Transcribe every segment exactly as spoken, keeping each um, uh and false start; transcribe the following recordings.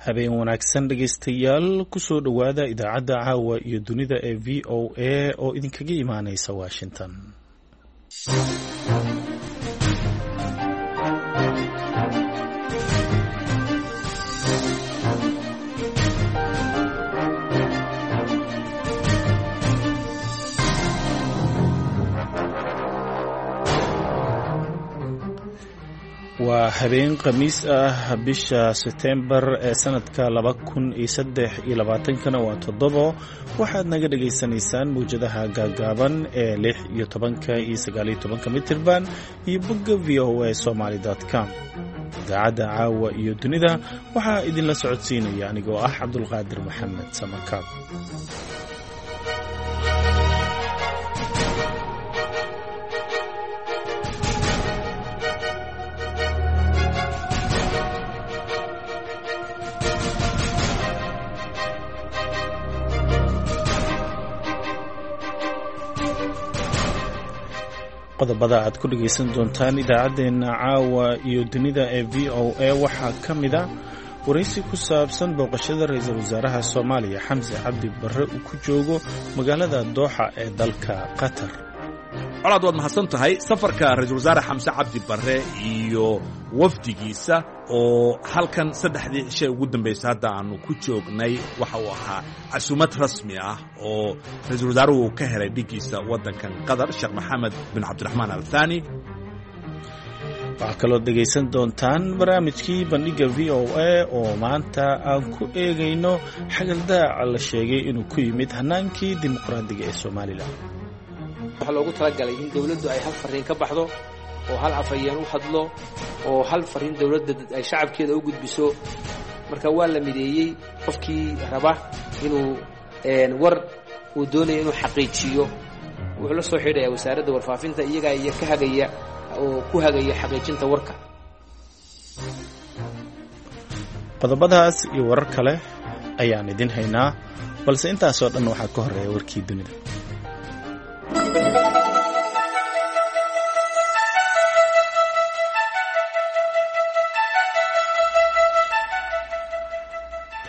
Habeen wanaagsan dhegaystayaal, kusoo dhowaada idaacadda caawa iyo dunida ee V O A oo idinkaga imaaneysa Washington. Waa habeen Khamiis ah, bisha Setembar ee sanadka laba kun iyo saddex iyo labaatankana waa toddobo. Waxaad naga dhagaysanaysaan mawjadaha gaagaaban ee lix iyo tobanka iyo sagaaliyo tobanka mitirban iyo bogga V O A Somaly com. Idaacadda caawa iyo dunida waxaa idinla socodsiinaya anigoo ah Cabdulqaadir Maxamed Samakaab. Qodobada aad ku dhegaysan doontaan idaacaddeenna caawa iyo dunida ee V O A waxaa ka mid a waraysi ku saabsan booqashada ra-iisul wasaaraha Soomaaliya Xamse Cabdi Barre uu ku joogo magaalada Dooxa ee dalka Qatar. Colaad, waad mahadsan tahay. Safarka ra-iisul wasaare Xamse Cabdi Barre iyo wafdigiisa oo halkan saddexdii cishay ugu dambaysay hadda aanu ku joognay waxa uu ahaa casuumad rasmi ah oo ra-iisul wasaaruhu uu ka helay dhiggiisa waddankan Qatar, Sheekh Maxamed bin Cabdiraxmaan Al Thani. Waxaa kaloo dhegaysan doontaan barnaamijkii bandhigga V O A oo maanta aan ku eegayno xagaldaaca la sheegay inuu ku yimid hanaankii dimuqraadiga ee Somalilan. Waxaa loogu talagalay in dawladdu ay hal fariin ka baxdo oo hal afhayeen u hadlo oo hal fariin dawladda ay shacabkeeda u gudbiso. Marka waa la mideeyey. Qofkii raba inuu war uu doonayo inuu xaqiijiyo wuxuu la soo xidhayaa wasaaradda warfaafinta, iyagaa iyo ka hagaya oo ku hagaya xaqiijinta warka. Qodobadaas iyo warar kale ayaan idin haynaa, balse intaasoo dhan waxaa ka horreeya warkii dunida.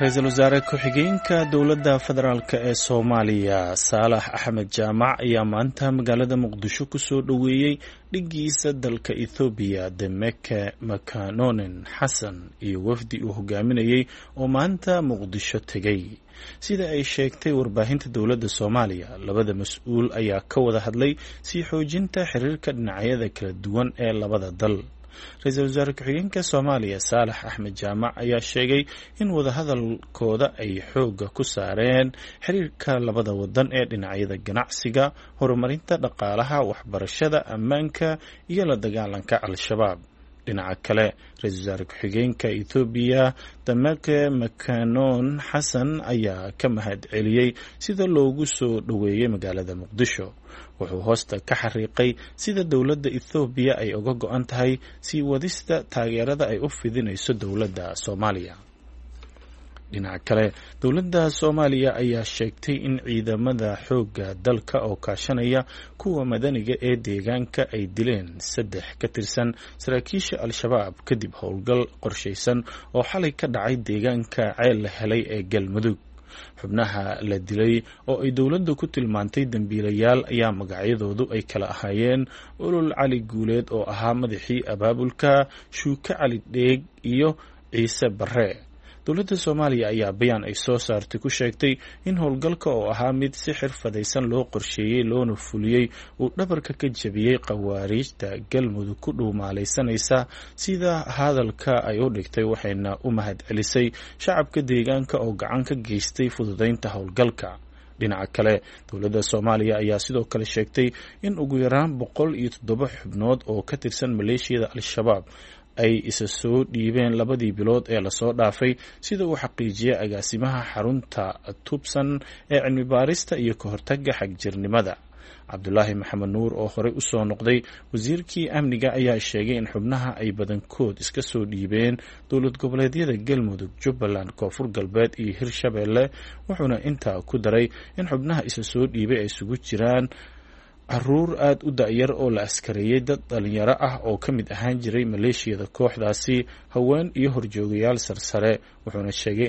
Ra-iisul wasaare ku-xigeenka dowladda federaalk ee Soomaaliya Saalax Axmed Jaamac ayaa maanta magaalada Muqdisho kusoo dhoweeyey dhiggiisa dalka Ethoobiya Demeke Makanonen Xasan iyo wafdi uu hogaaminayey oo maanta Muqdisho tegey. Sida ay sheegtay warbaahinta dowladda Soomaaliya, labada mas-uul ayaa ka wada hadlay sii xoojinta xiriirka dhinacyada kala duwan ee labada dal. Ra-iisul wasaare ku-xigeenka Soomaaliya Saalax Axmed Jaamac ayaa sheegay in wadahadalkooda ay xoogga ku saareen xiriirka labada wadan ee dhinacyada ganacsiga, horumarinta dhaqaalaha, waxbarashada, ammaanka iyo la dagaalanka Al-Shabaab. Dhinaca kale, ra-iisul wasaare ku-xigeenka Ethoobiya Dameke Makanon Xasan ayaa ka mahad celiyey sida loogu soo dhoweeyey magaalada Muqdisho. Wuxuu hoosta ka xariiqay sida dowladda Ethoobiya ay uga go-an tahay sii wadista taageerada ay u fidinayso dowladda Soomaaliya. Dhinaca kale, dowladda Soomaaliya ayaa sheegtay in ciidamada xoogga dalka oo kaashanaya kuwa madaniga ee deegaanka ay dileen saddex ka tirsan saraakiisha Al-Shabaab kadib howlgal qorshaysan oo xalay ka dhacay deegaanka Ceel la Helay ee Galmudug. Xubnaha la dilay oo ay dowladdu ku tilmaantay dembiilayaal ayaa magacyadoodu ay kala ahaayeen Olol Cali Guuleed oo ahaa madaxii abaabulka, Shuuke Cali Dheeg iyo Ciise Barre. Dowladda Soomaaliya ayaa bayaan ay soo saartay ku sheegtay in howlgalka oo ahaa mid si xirfadaysan loo qorsheeyey loona fuliyey uu dhabarka ka jabiyey khawaariijta Galmudug ku dhuumaalaysanaysa sida hadalka ay u dhigtay, waxayna u mahad celisay shacabka deegaanka oo gacan ka geystay fududeynta howlgalka. Dhinaca kale, dowladda Soomaaliya ayaa sidoo kale sheegtay in ugu yaraan boqol iyo toddoba xubnood oo ka tirsan maleeshiyada Al-Shabaab ay isa soo dhiibeen labadii bilood ee lasoo dhaafay, sida uu xaqiijiyay agaasimaha xarunta Tubsan ee cilmi baarista iyo ka hortagga xagjirnimada, Cabdulaahi Maxamed Nuur, oo horey usoo noqday wasiirkii amniga. Ayaa sheegay in xubnaha ay badankood iska soo dhiibeen dowlad goboleedyada Galmudug, Jubbaland, Koonfur Galbeed iyo Hirshabeelle, wuxuuna intaa ku daray in xubnaha isa soo dhiibay ay isugu jiraan Caruur aada u da-yar oo la askareeyey, dad dhalinyaro ah oo ka mid ahaan jiray maleeshiyada kooxdaasi, haween iyo horjoogayaal sarsare. Wuxuuna sheegay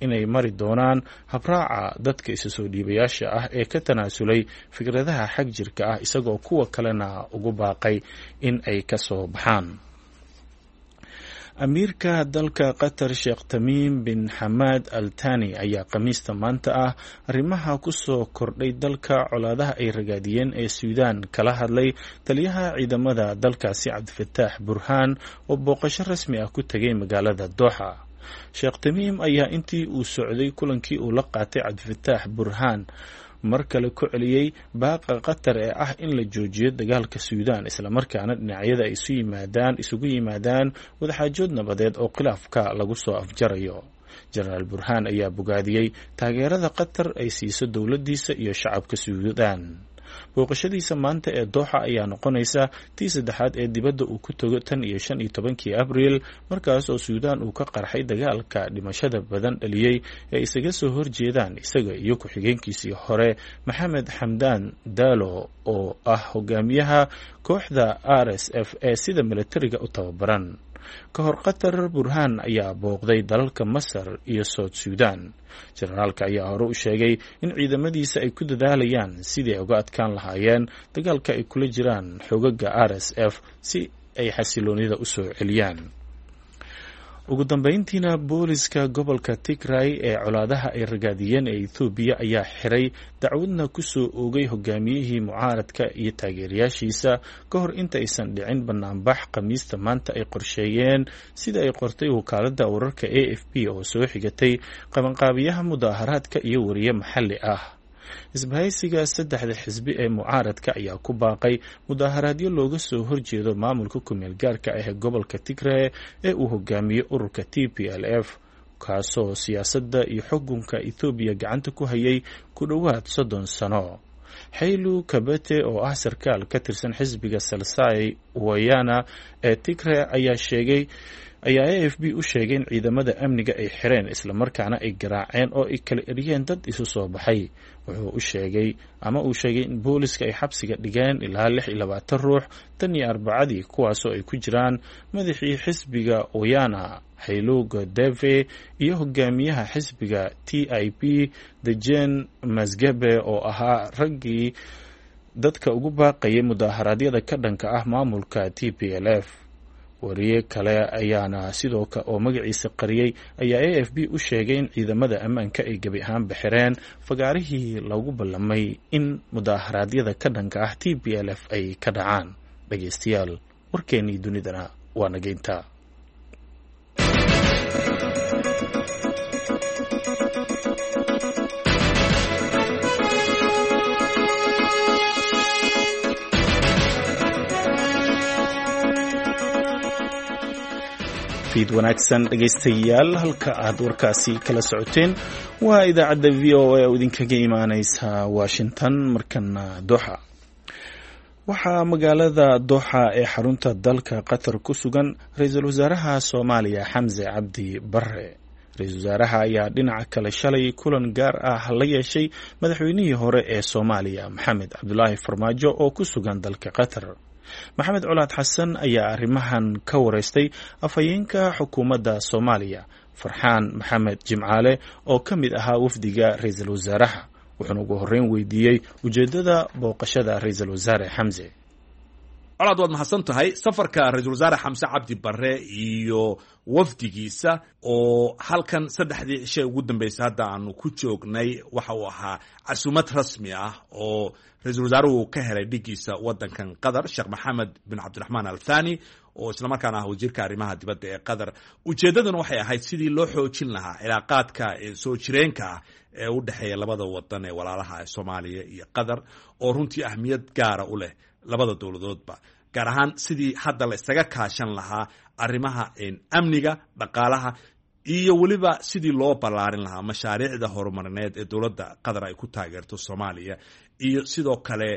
inay mari doonaan habraaca dadka isa soo dhiibayaasha ah ee ka tanaasulay fikradaha xag jirka ah, isagoo kuwa kalena ugu baaqay in ay ka soo baxaan. Amiirka dalka Qatar, Sheekh Tamiim bin Xamaad Al Tani, ayaa Khamiista maanta ah arrimaha ku soo kordhay dalka colaadaha ay ragaadiyeen ee Suudaan kala hadlay taliyaha ciidamada dalkaasi, Cabdifataax Burhaan, oo booqasho rasmi ah ku tegay magaalada Dooxa. Sheekh Tamiim ayaa intii uu socday kulankii uu la qaatay Cabdifataax Burhaan mar kale ku celiyey baaqa Qatar ee ah in la joojiyo dagaalka Suudaan, islamarkaana dhinacyada ay isu yimaadaan isugu yimaadaan wadaxaajood nabadeed oo khilaafka lagu soo afjarayo. Jenaraal Burhaan ayaa bogaadiyey taageerada Qatar ay siiso dowladdiisa iyo shacabka Suudaan. Booqashadiisa maanta ee Dooxa ayaa noqonaysa tii saddexaad ee dibadda uu ku tago tan iyo shan iyo tobankii Abriil, markaas oo Suudaan uu ka qarxay dagaalka dhimashada badan dhaliyey ee isaga soo horjeedaan isaga iyo ku-xigeenkiisii hore, Maxamed Xamdaan Daalo, oo ah hogaamiyaha kooxda R S F ee sida milatariga u tababaran. Ka hor Qatar, Burhaan ayaa booqday dalalka Masar iyo South Suudaan. Jenaraalka ayaa hore u sheegay in ciidamadiisa ay ku dadaalayaan sidii ay uga adkaan lahaayeen dagaalka ay kula jiraan xogaga R S F si ay xasiloonida u soo celiyaan. Ugu dambeyntiina, booliska gobolka Tigray ee colaadaha ay ragaadiyeen ee Ethoobiya ayaa xiray, dacwadna ku soo oogay hogaamiyihii mucaaradka iyo taageerayaashiisa ka hor inta aysan dhicin banaanbax Khamiista maanta ay qorsheeyeen, sida ay qortay wakaaladda wararka A F P oo soo xigatay qabanqaabiyaha mudaaharaadka iyo wariye maxalli ah. Isbahaysiga saddexda xisbi ee mucaaradka ayaa ku baaqay mudaaharaadyo looga soo horjeedo maamulka kumeel gaarka ah ee gobolka Tigray ee uu hogaamiyo ururka T P L F, kaasoo siyaasadda iyo xukunka Ethoobiya gacanta ku hayay ku dhowaad soddon sano. Xaylu Kabete, oo ah sarkaal ka tirsan xisbiga Salsai Wayana ee Tigray, ayaa sheegay ayaa A F P u sheegay in ciidamada amniga ay xireen, islamarkaana ay garaaceen oo ay kala eriyeen dad isu soo baxay. Wuxuu u sheegay ama uu sheegay in booliska ay xabsiga dhigeen ilaa lix iyo labaatan ruux tan iyo Arbacadii, kuwaasoo ay ku jiraan madaxii xisbiga Oyana, Haylu Godeve, iyo hogaamiyaha xisbiga T I P, Dejen Masgabe, oo ahaa raggii dadka ugu baaqayay mudaaharaadyada ka dhanka ah maamulka T P L F. Wariye kale ayaana sidoo kale oo magaciisa qariyey ayaa A F P u sheegay in ciidamada ammaanka ay gebi ahaanba xireen fagaarihii lagu ballamay in mudaaharaadyada ka dhanka ah T P L F ay ka dhacaan. Dhageystayaal, warkeenii dunidana waa nageynta. Fiid wanaagsan dhegaystayaal, halka aad warkaasi kala socoteen waa idaacadda V O A oo idinkaga imaaneysa Washington. Markana Doxa. Waxaa magaalada Doxa ee xarunta dalka Qatar ku sugan ra-iisul wasaaraha Soomaaliya, Xamse Cabdi Barre. Ra-iisul wasaaraha ayaa dhinaca kale shalay kulan gaar ah la yeeshay madaxweynihii hore ee Soomaaliya, Maxamed Cabdulaahi Farmaajo, oo ku sugan dalka Qatar. Maxamed Colaad Xasan ayaa arrimahan ka wareystay afhayeenka xukuumadda Soomaaliya, Farxaan Maxamed Jimcaale, oo ka mid ahaa wafdiga ra-iisul wasaaraha, wuxuuna ugu horreyn weydiiyey ujeeddada booqashada ra-iisul wasaare Xamse. Colaad, waad mahadsan tahay. Safarka ra-iisul wasaare Xamse Cabdi Barre iyo wafdigiisa oo halkan saddexdii cishay ugu dambeysay hadda aanu ku joognay waxa uu ahaa casuumad rasmi ah oo ra-iisul wasaaruhu ka helay dhigiisa waddankan Qatar, Sheekh Maxamed bin Cabdiraxmaan Al Thani, oo islamarkaana ah wasiirka arrimaha dibadda ee Qatar. Ujeeddaduna waxay ahayd sidii loo xoojin lahaa cilaaqaadka soo jireenka ah ee u dhexeeya labada wadan ee walaalaha ee Soomaaliya iyo Qatar, oo runtii ahmiyad gaara u leh labada dowladoodba, gaar ahaan sidii hadda la isaga kaashan lahaa arrimaha amniga, dhaqaalaha iyo weliba sidii loo ballaarin lahaa mashaariicda horumarineed ee dowladda Qatar ay ku taageerto Soomaaliya, iyo sidoo kale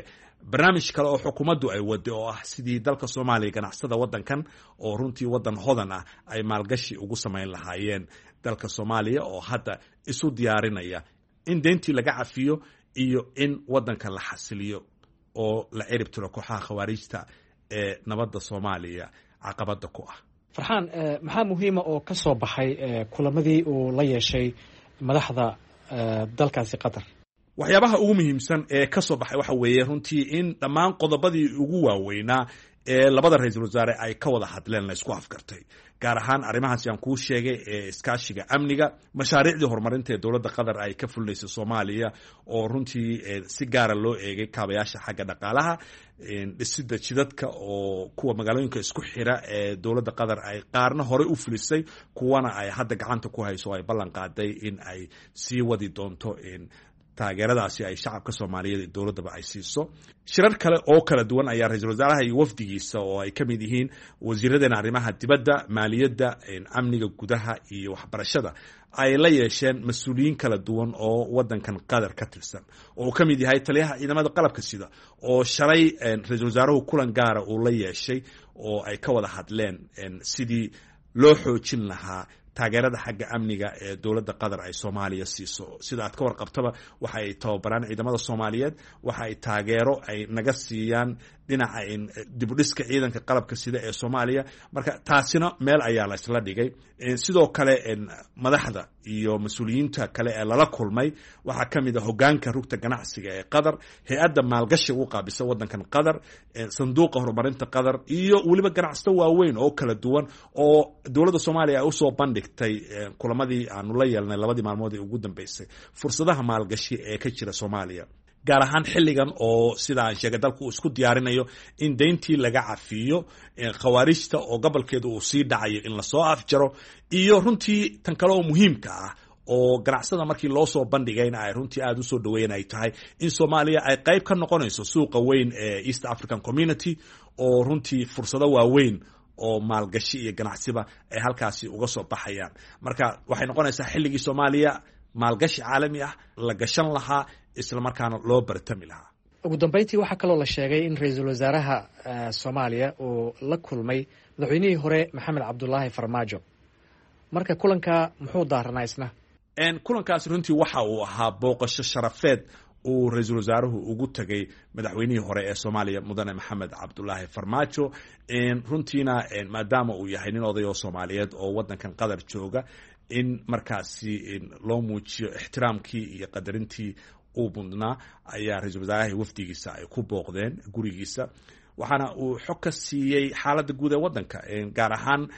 barnaamij kale oo xukuumaddu ay waday oo ah sidii dalka Soomaaliya ganacsada waddankan, oo runtii waddan hodan ah, ay maalgashi ugu samayn lahaayeen dalka Soomaaliya, oo hadda isu diyaarinaya in deyntii laga cafiyo iyo in waddanka la xasiliyo. oo la cirib tiro kooxaha khawaarijta ee nabadda Soomaaliya caqabadda ku ah. Farxaan, maxaa muhiima oo ka soo baxay kulamadii uu la yeeshay madaxda dalkaasi Qatar? Waxyaabaha ugu muhiimsan ee ka soo baxay waxa weeye runtii in dhammaan qodobadii ugu waaweynaa ee labada ra-iisul wasaare ay ka wada hadleen la isku afgartay, gaar ahaan arrimahaasi aan kuu sheegay ee iskaashiga amniga, mashaariicdii horumarinta ee dowladda Qatar ay ka fulinaysay Soomaaliya oo runtii si gaara loo eegay kaabayaasha xagga dhaqaalaha, dhisida jidadka oo kuwa magaalooyinka isku xira ee dowladda Qatar ay qaarna horey u fulisay, kuwana ay hadda gacanta ku hayso oo ay ballan qaaday in ay sii wadi doonto taageeradaasi ay shacabka Soomaaliyeed iyo dowladdaba ay siiso. Shirar kale oo kala duwan ayaa ra-iisul wasaaraha iyo wafdigiisa oo ay ka mid yihiin wasiiradeena arrimaha dibadda, maaliyadda, amniga gudaha iyo waxbarashada ay la yeesheen mas-uuliyiin kala duwan oo waddankan Qatar ka tirsan, oo uu ka mid yahay taliyaha ciidamada qalabka sida oo shalay ra-iisul wasaaruhu kulan gaara uu la yeeshay oo ay ka wada hadleen sidii loo xoojin lahaa taageerada xagga amniga ee dowladda Qatar ay Soomaaliya siiso. Sida aad ka warqabtaba, waxa ay tababaraan ciidamada Soomaaliyeed, waxa ay taageero ay naga siiyaan dhinaca dibudhiska ciidanka qalabka sida ee Soomaaliya. Marka taasina meel ayaa la isla dhigay. Sidoo kale madaxda iyo mas-uuliyiinta kale ee lala kulmay waxaa ka mid a hogaanka rugta ganacsiga ee Qatar, hay-adda maalgashiga u qaabisa waddankan Qatar, sanduuqa horumarinta Qatar iyo weliba ganacsato waaweyn oo kala duwan oo dowladda Soomaaliya ay usoo bandhigtay kulamadii aanu la yeelnay labadii maalmood ee ugu dambeysay fursadaha maalgashi ee ka jira Soomaaliya, gaar ahaan xilligan oo sida aan sheegay dalku uu isku diyaarinayo in deyntii laga cafiyo khawaarijta oo gobolkeedu uu sii dhacayo in lasoo afjaro, iyo runtii tan kale oo muhiimka ah oo ganacsada markii loo soo bandhigayna ay runtii aada usoo dhaweeyen ay tahay in Soomaaliya ay qayb ka noqonayso suuqa weyn ee East African Community oo runtii fursado waaweyn oo maalgashi iyo ganacsiba ay halkaasi uga soo baxayaan. Marka waxay noqonaysaa xilligii Soomaaliya maalgashi caalami ah la gashan lahaa, isla markaana loo bartami lahaa. Ugu dambeyntii, waxaa kaloo la sheegay in ra-iisul wasaaraha Soomaaliya uu la kulmay madaxweynihii hore Maxamed Cabdulaahi Farmaajo. Marka kulanka muxuu daaranaa isna? Kulankaasi runtii waxa uu ahaa booqasho sharafeed uu ra-iisul wasaaruhu ugu tagay madaxweynihii hore ee Soomaaliya, mudane Maxamed Cabdulaahi Farmaajo. Runtiina maadaama uu yahay nin oday oo Soomaaliyeed oo waddankan Qatar jooga, in markaasi loo muujiyo ixtiraamkii iyo qadarintii uu mudnaa ayaa ra-iisul wasaaraha wafdigiisa ay ku booqdeen gurigiisa, waxaana uu xog ka siiyey xaaladda guud ee waddanka, gaar ahaan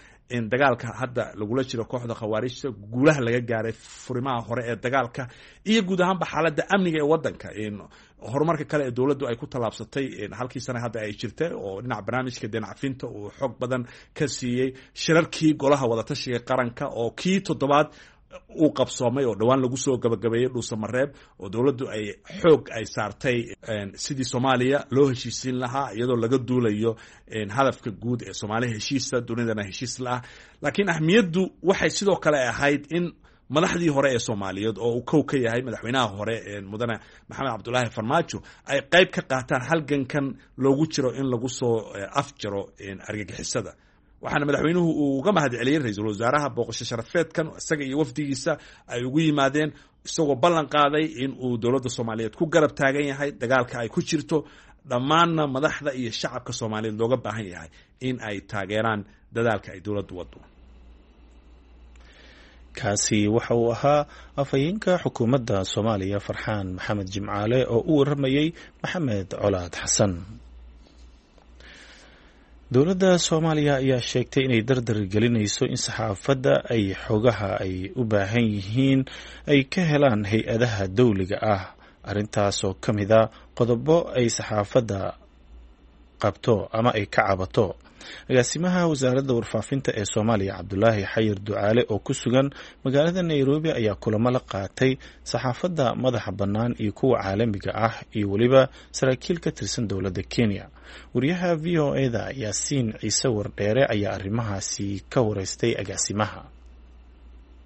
dagaalka hadda lagula jiro kooxda khawaarijta, guulaha laga gaaray furimaha hore ee dagaalka iyo guud ahaanba xaaladda amniga ee waddanka, horumarka kale ee dowladdu ay ku tallaabsatay halkii sana hadda ay jirtay oo dhinaca barnaamijka deen cafinta uu xog badan ka siiyey, shirarkii golaha wadatashiga qaranka oo kii toddobaad uu qabsoomay oo dhowaan lagu soo gabagabeeyey Dhuusamareeb oo dowladdu ay xoog ay saartay sidii Soomaaliya loo heshiisiin lahaa iyadoo laga duulayo hadafka guud ee Soomaaliya heshiisa dunidana heshiis la ah. Laakiin ahmiyaddu waxay sidoo kale ahayd in madaxdii hore ee Soomaaliyeed oo uu kow ka yahay madaxweynaha hore mudane Maxamed Cabdulaahi Farmaajo ay qayb ka qaataan halgankan loogu jiro in lagu soo afjaro argagixisada. Waxaana madaxweynuhu uu uga mahad celiyey ra-iisul wasaaraha booqasho sharafeedkan isaga iyo wafdigiisa ay ugu yimaadeen, isagoo ballan qaaday in uu dowladda Soomaaliyeed ku garab taagan yahay dagaalka ay ku jirto, dhammaanna madaxda iyo shacabka Soomaaliyeed looga baahan yahay in ay taageeraan dadaalka ay dowladdu wado. Kaasi waxa uu ahaa afhayeenka xukuumadda Soomaaliya, Farxaan Maxamed Jimcaale, oo u waramayey Maxamed Colaad Xasan. Dowladda Soomaaliya ayaa sheegtay inay dardar gelinayso in saxaafadda ay xogaha ay u baahan yihiin ay ka helaan hay-adaha dowliga ah, arrintaasoo ka mid a qodobo ay saxaafadda qabto ama ay ka cabato. Agaasimaha wasaaradda warfaafinta ee Soomaaliya, Cabdulaahi Xayir Ducaale, oo ku sugan magaalada Nairobi ayaa kulamo la qaatay saxaafadda madaxa bannaan iyo kuwa caalamiga ah iyo weliba saraakiil ka tirsan dowladda Kenya. Wariyaha V O E-da Yaasiin Ciise Wardheere ayaa arrimahaasi ka wareystay agaasimaha.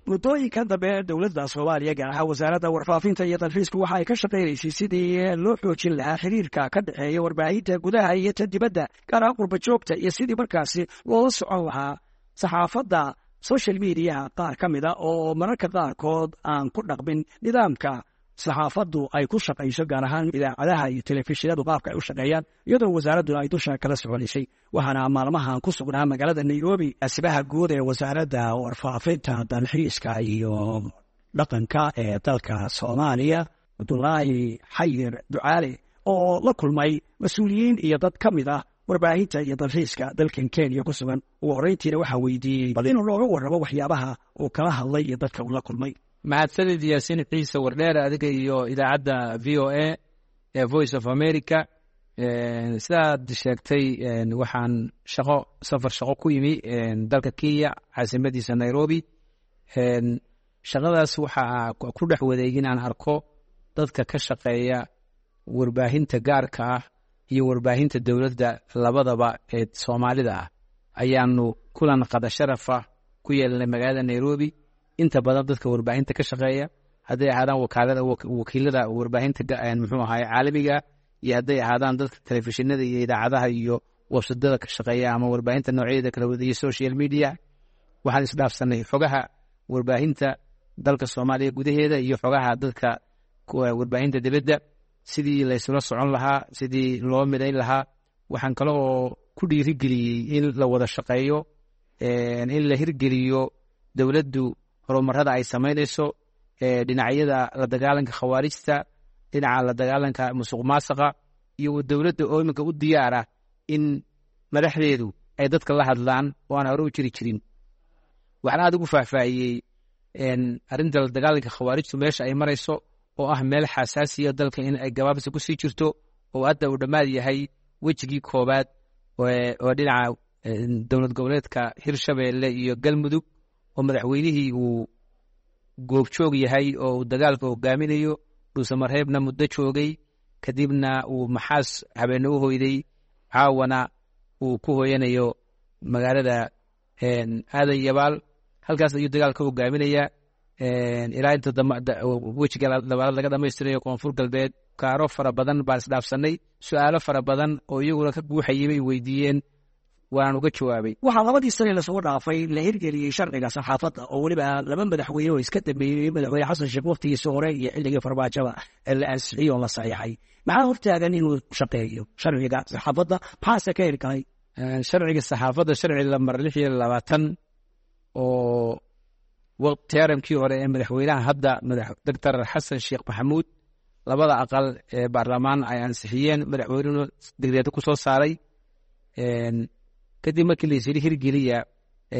Muddooyinkan dambe dowladda Soomaaliya, gaar ahaan wasaaradda warfaafinta iyo dalxiisku, waxa ay ka shaqaynaysay sidii loo xoojin lahaa xiriirka ka dhexeeya warbaahinta gudaha iyo tan dibadda, gaar ahaan qurba joogta, iyo sidii markaasi loola socon lahaa saxaafadda social mediaha qaar ka mida oo mararka qaarkood aan ku dhaqmin nidaamka Saxaafaddu ay ku shaqayso, gaar ahaan idaacadaha iyo telefishinadu qaabka ay u shaqeeyaan, iyadoo wasaaradduna ay dusha kala soconaysay. Waxaana maalmahan ku sugnaa magaalada Nairobi asibaha guud ee Wasaaradda Warfaafinta, Dalxiiska iyo Dhaqanka ee dalka Soomaaliya, Cabdulaahi Xayir Ducaale, oo la kulmay mas-uuliyiin iyo dad ka mid ah warbaahinta iyo dalxiiska dalkan Kenya ku sugan. Ugu horreyntiina waxaa weydiiyey bal inuu nooga warramo waxyaabaha uu kala hadlay iyo dadka uu la kulmay. Mahadsanid Yaasiin Ciise Wardheer, adiga iyo idaacadda V O A ee Voice of America. Sidaad sheegtay, waxaan shaqo, safar shaqo ku yimi dalka Kenya, caasimadiisa Nairobi. Shaqadaas waxaa ku dhex waday inaan arko dadka ka shaqeeya warbaahinta gaarka ah iyo warbaahinta dowladda labadaba ee Soomaalida ah. Ayaanu kulan qada sharafa ku yeelanay magaalada Nairobi. Inta badan dadka warbaahinta ka shaqeeya, hadday ahaadaan wakaalada, wakiilada warbaahinta, muxuu ahaay, caalamiga, iyo hadday ahaadaan dadka telefishinada iyo idaacadaha iyo websadada ka shaqeeya ama warbaahinta noocyadeeda kala wada iyo social media, waxaan isdhaafsanay xogaha warbaahinta dalka Soomaaliya gudaheeda iyo xogaha dadka warbaahinta dibadda, sidii laysula socon lahaa, sidii loo midayn lahaa. Waxaan kale oo ku dhiirigeliyey in la wada shaqeeyo, in la hirgeliyo dowladdu horumarada ay samaynayso, dhinacyada la dagaalanka khawaarijta, dhinaca la dagaalanka musuq maasaqa, iyo dowladda oo iminka u diyaara in madaxdeedu ay dadka la hadlaan oo aan hore u jiri jirin. Waxaan aada ugu faahfaahiyey arrinta la dagaalanka khawaarijtu meesha ay marayso, oo ah meel xasaasiya dalka in ay gabaabsi kusii jirto, oo hadda uu dhammaad yahay wejigii koowaad oo dhinaca dowlad goboleedka Hirshabeelle iyo Galmudug, oo madaxweynihii uu goobjoog yahay oo uu dagaalka hogaaminayo, Dhuusamareebna muddo joogay, kadibna uu Maxaas habeenne u hoyday, caawana uu ku hoyanayo magaalada Aadan Yabaal. Halkaas ayuu dagaalka hogaaminaya ilaa inta wejiga labaad laga dhamaystirayo Koonfur Galbeed. Kaaro fara badan baan isdhaafsanay, su-aalo fara badan oo iyaguna ka guuxayay bay weydiiyeen, waan uga jawaabay. Waxaa labadii sane lasoo dhaafay la hirgeliyey sharciga saxaafadda, oo weliba laba madaxweyne oo iska dambeeyey, Madaxweyne Xasan Sheekh waqtigiisa hore iyo xilligii Farmaajaba, la ansixiyey oo la saxiixay. Maxaa hortaagan inuu shaqeeyo sharciga saxaafadda? Maxaase ka heli karay? Sharciga saxaafadda, sharci lambar lix iyo labaatan oo teramkii hore ee madaxweynaha hadda, Doctor Xasan Sheekh Maxamuud, labada aqal ee baarlamaan ay ansixiyeen, madaxweynuhuna degdeeda ku soo saaray. Kadib markii la isyidhi hirgeliya,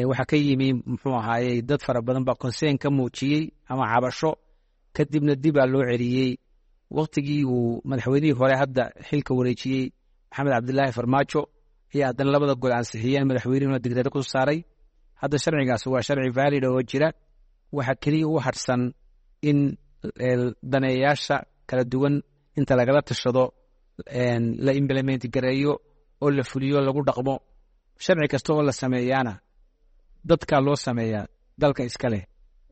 waxaa ka yimi, muxuu ahaayey, dad fara badan baa concern ka muujiyey ama cabasho. Kadibna dib baa loo celiyey. Waqtigii uu madaxweynihii hore hadda xilka wareejiyey, Maxamed Cabdilaahi Farmaajo, ayaa haddana labada gol ansixiyeen, madaxweynuhuna degdeeda ku saaray. Hadda sharcigaas waa sharci valid oo jira. Waxaa keliya u harsan in daneeyaasha kala duwan inta lagala tashado la implement gareeyo oo la fuliyo, lagu dhaqmo. Sharci kasta oo la sameeyaana dadkaa loo sameeyaa, dalka iska leh,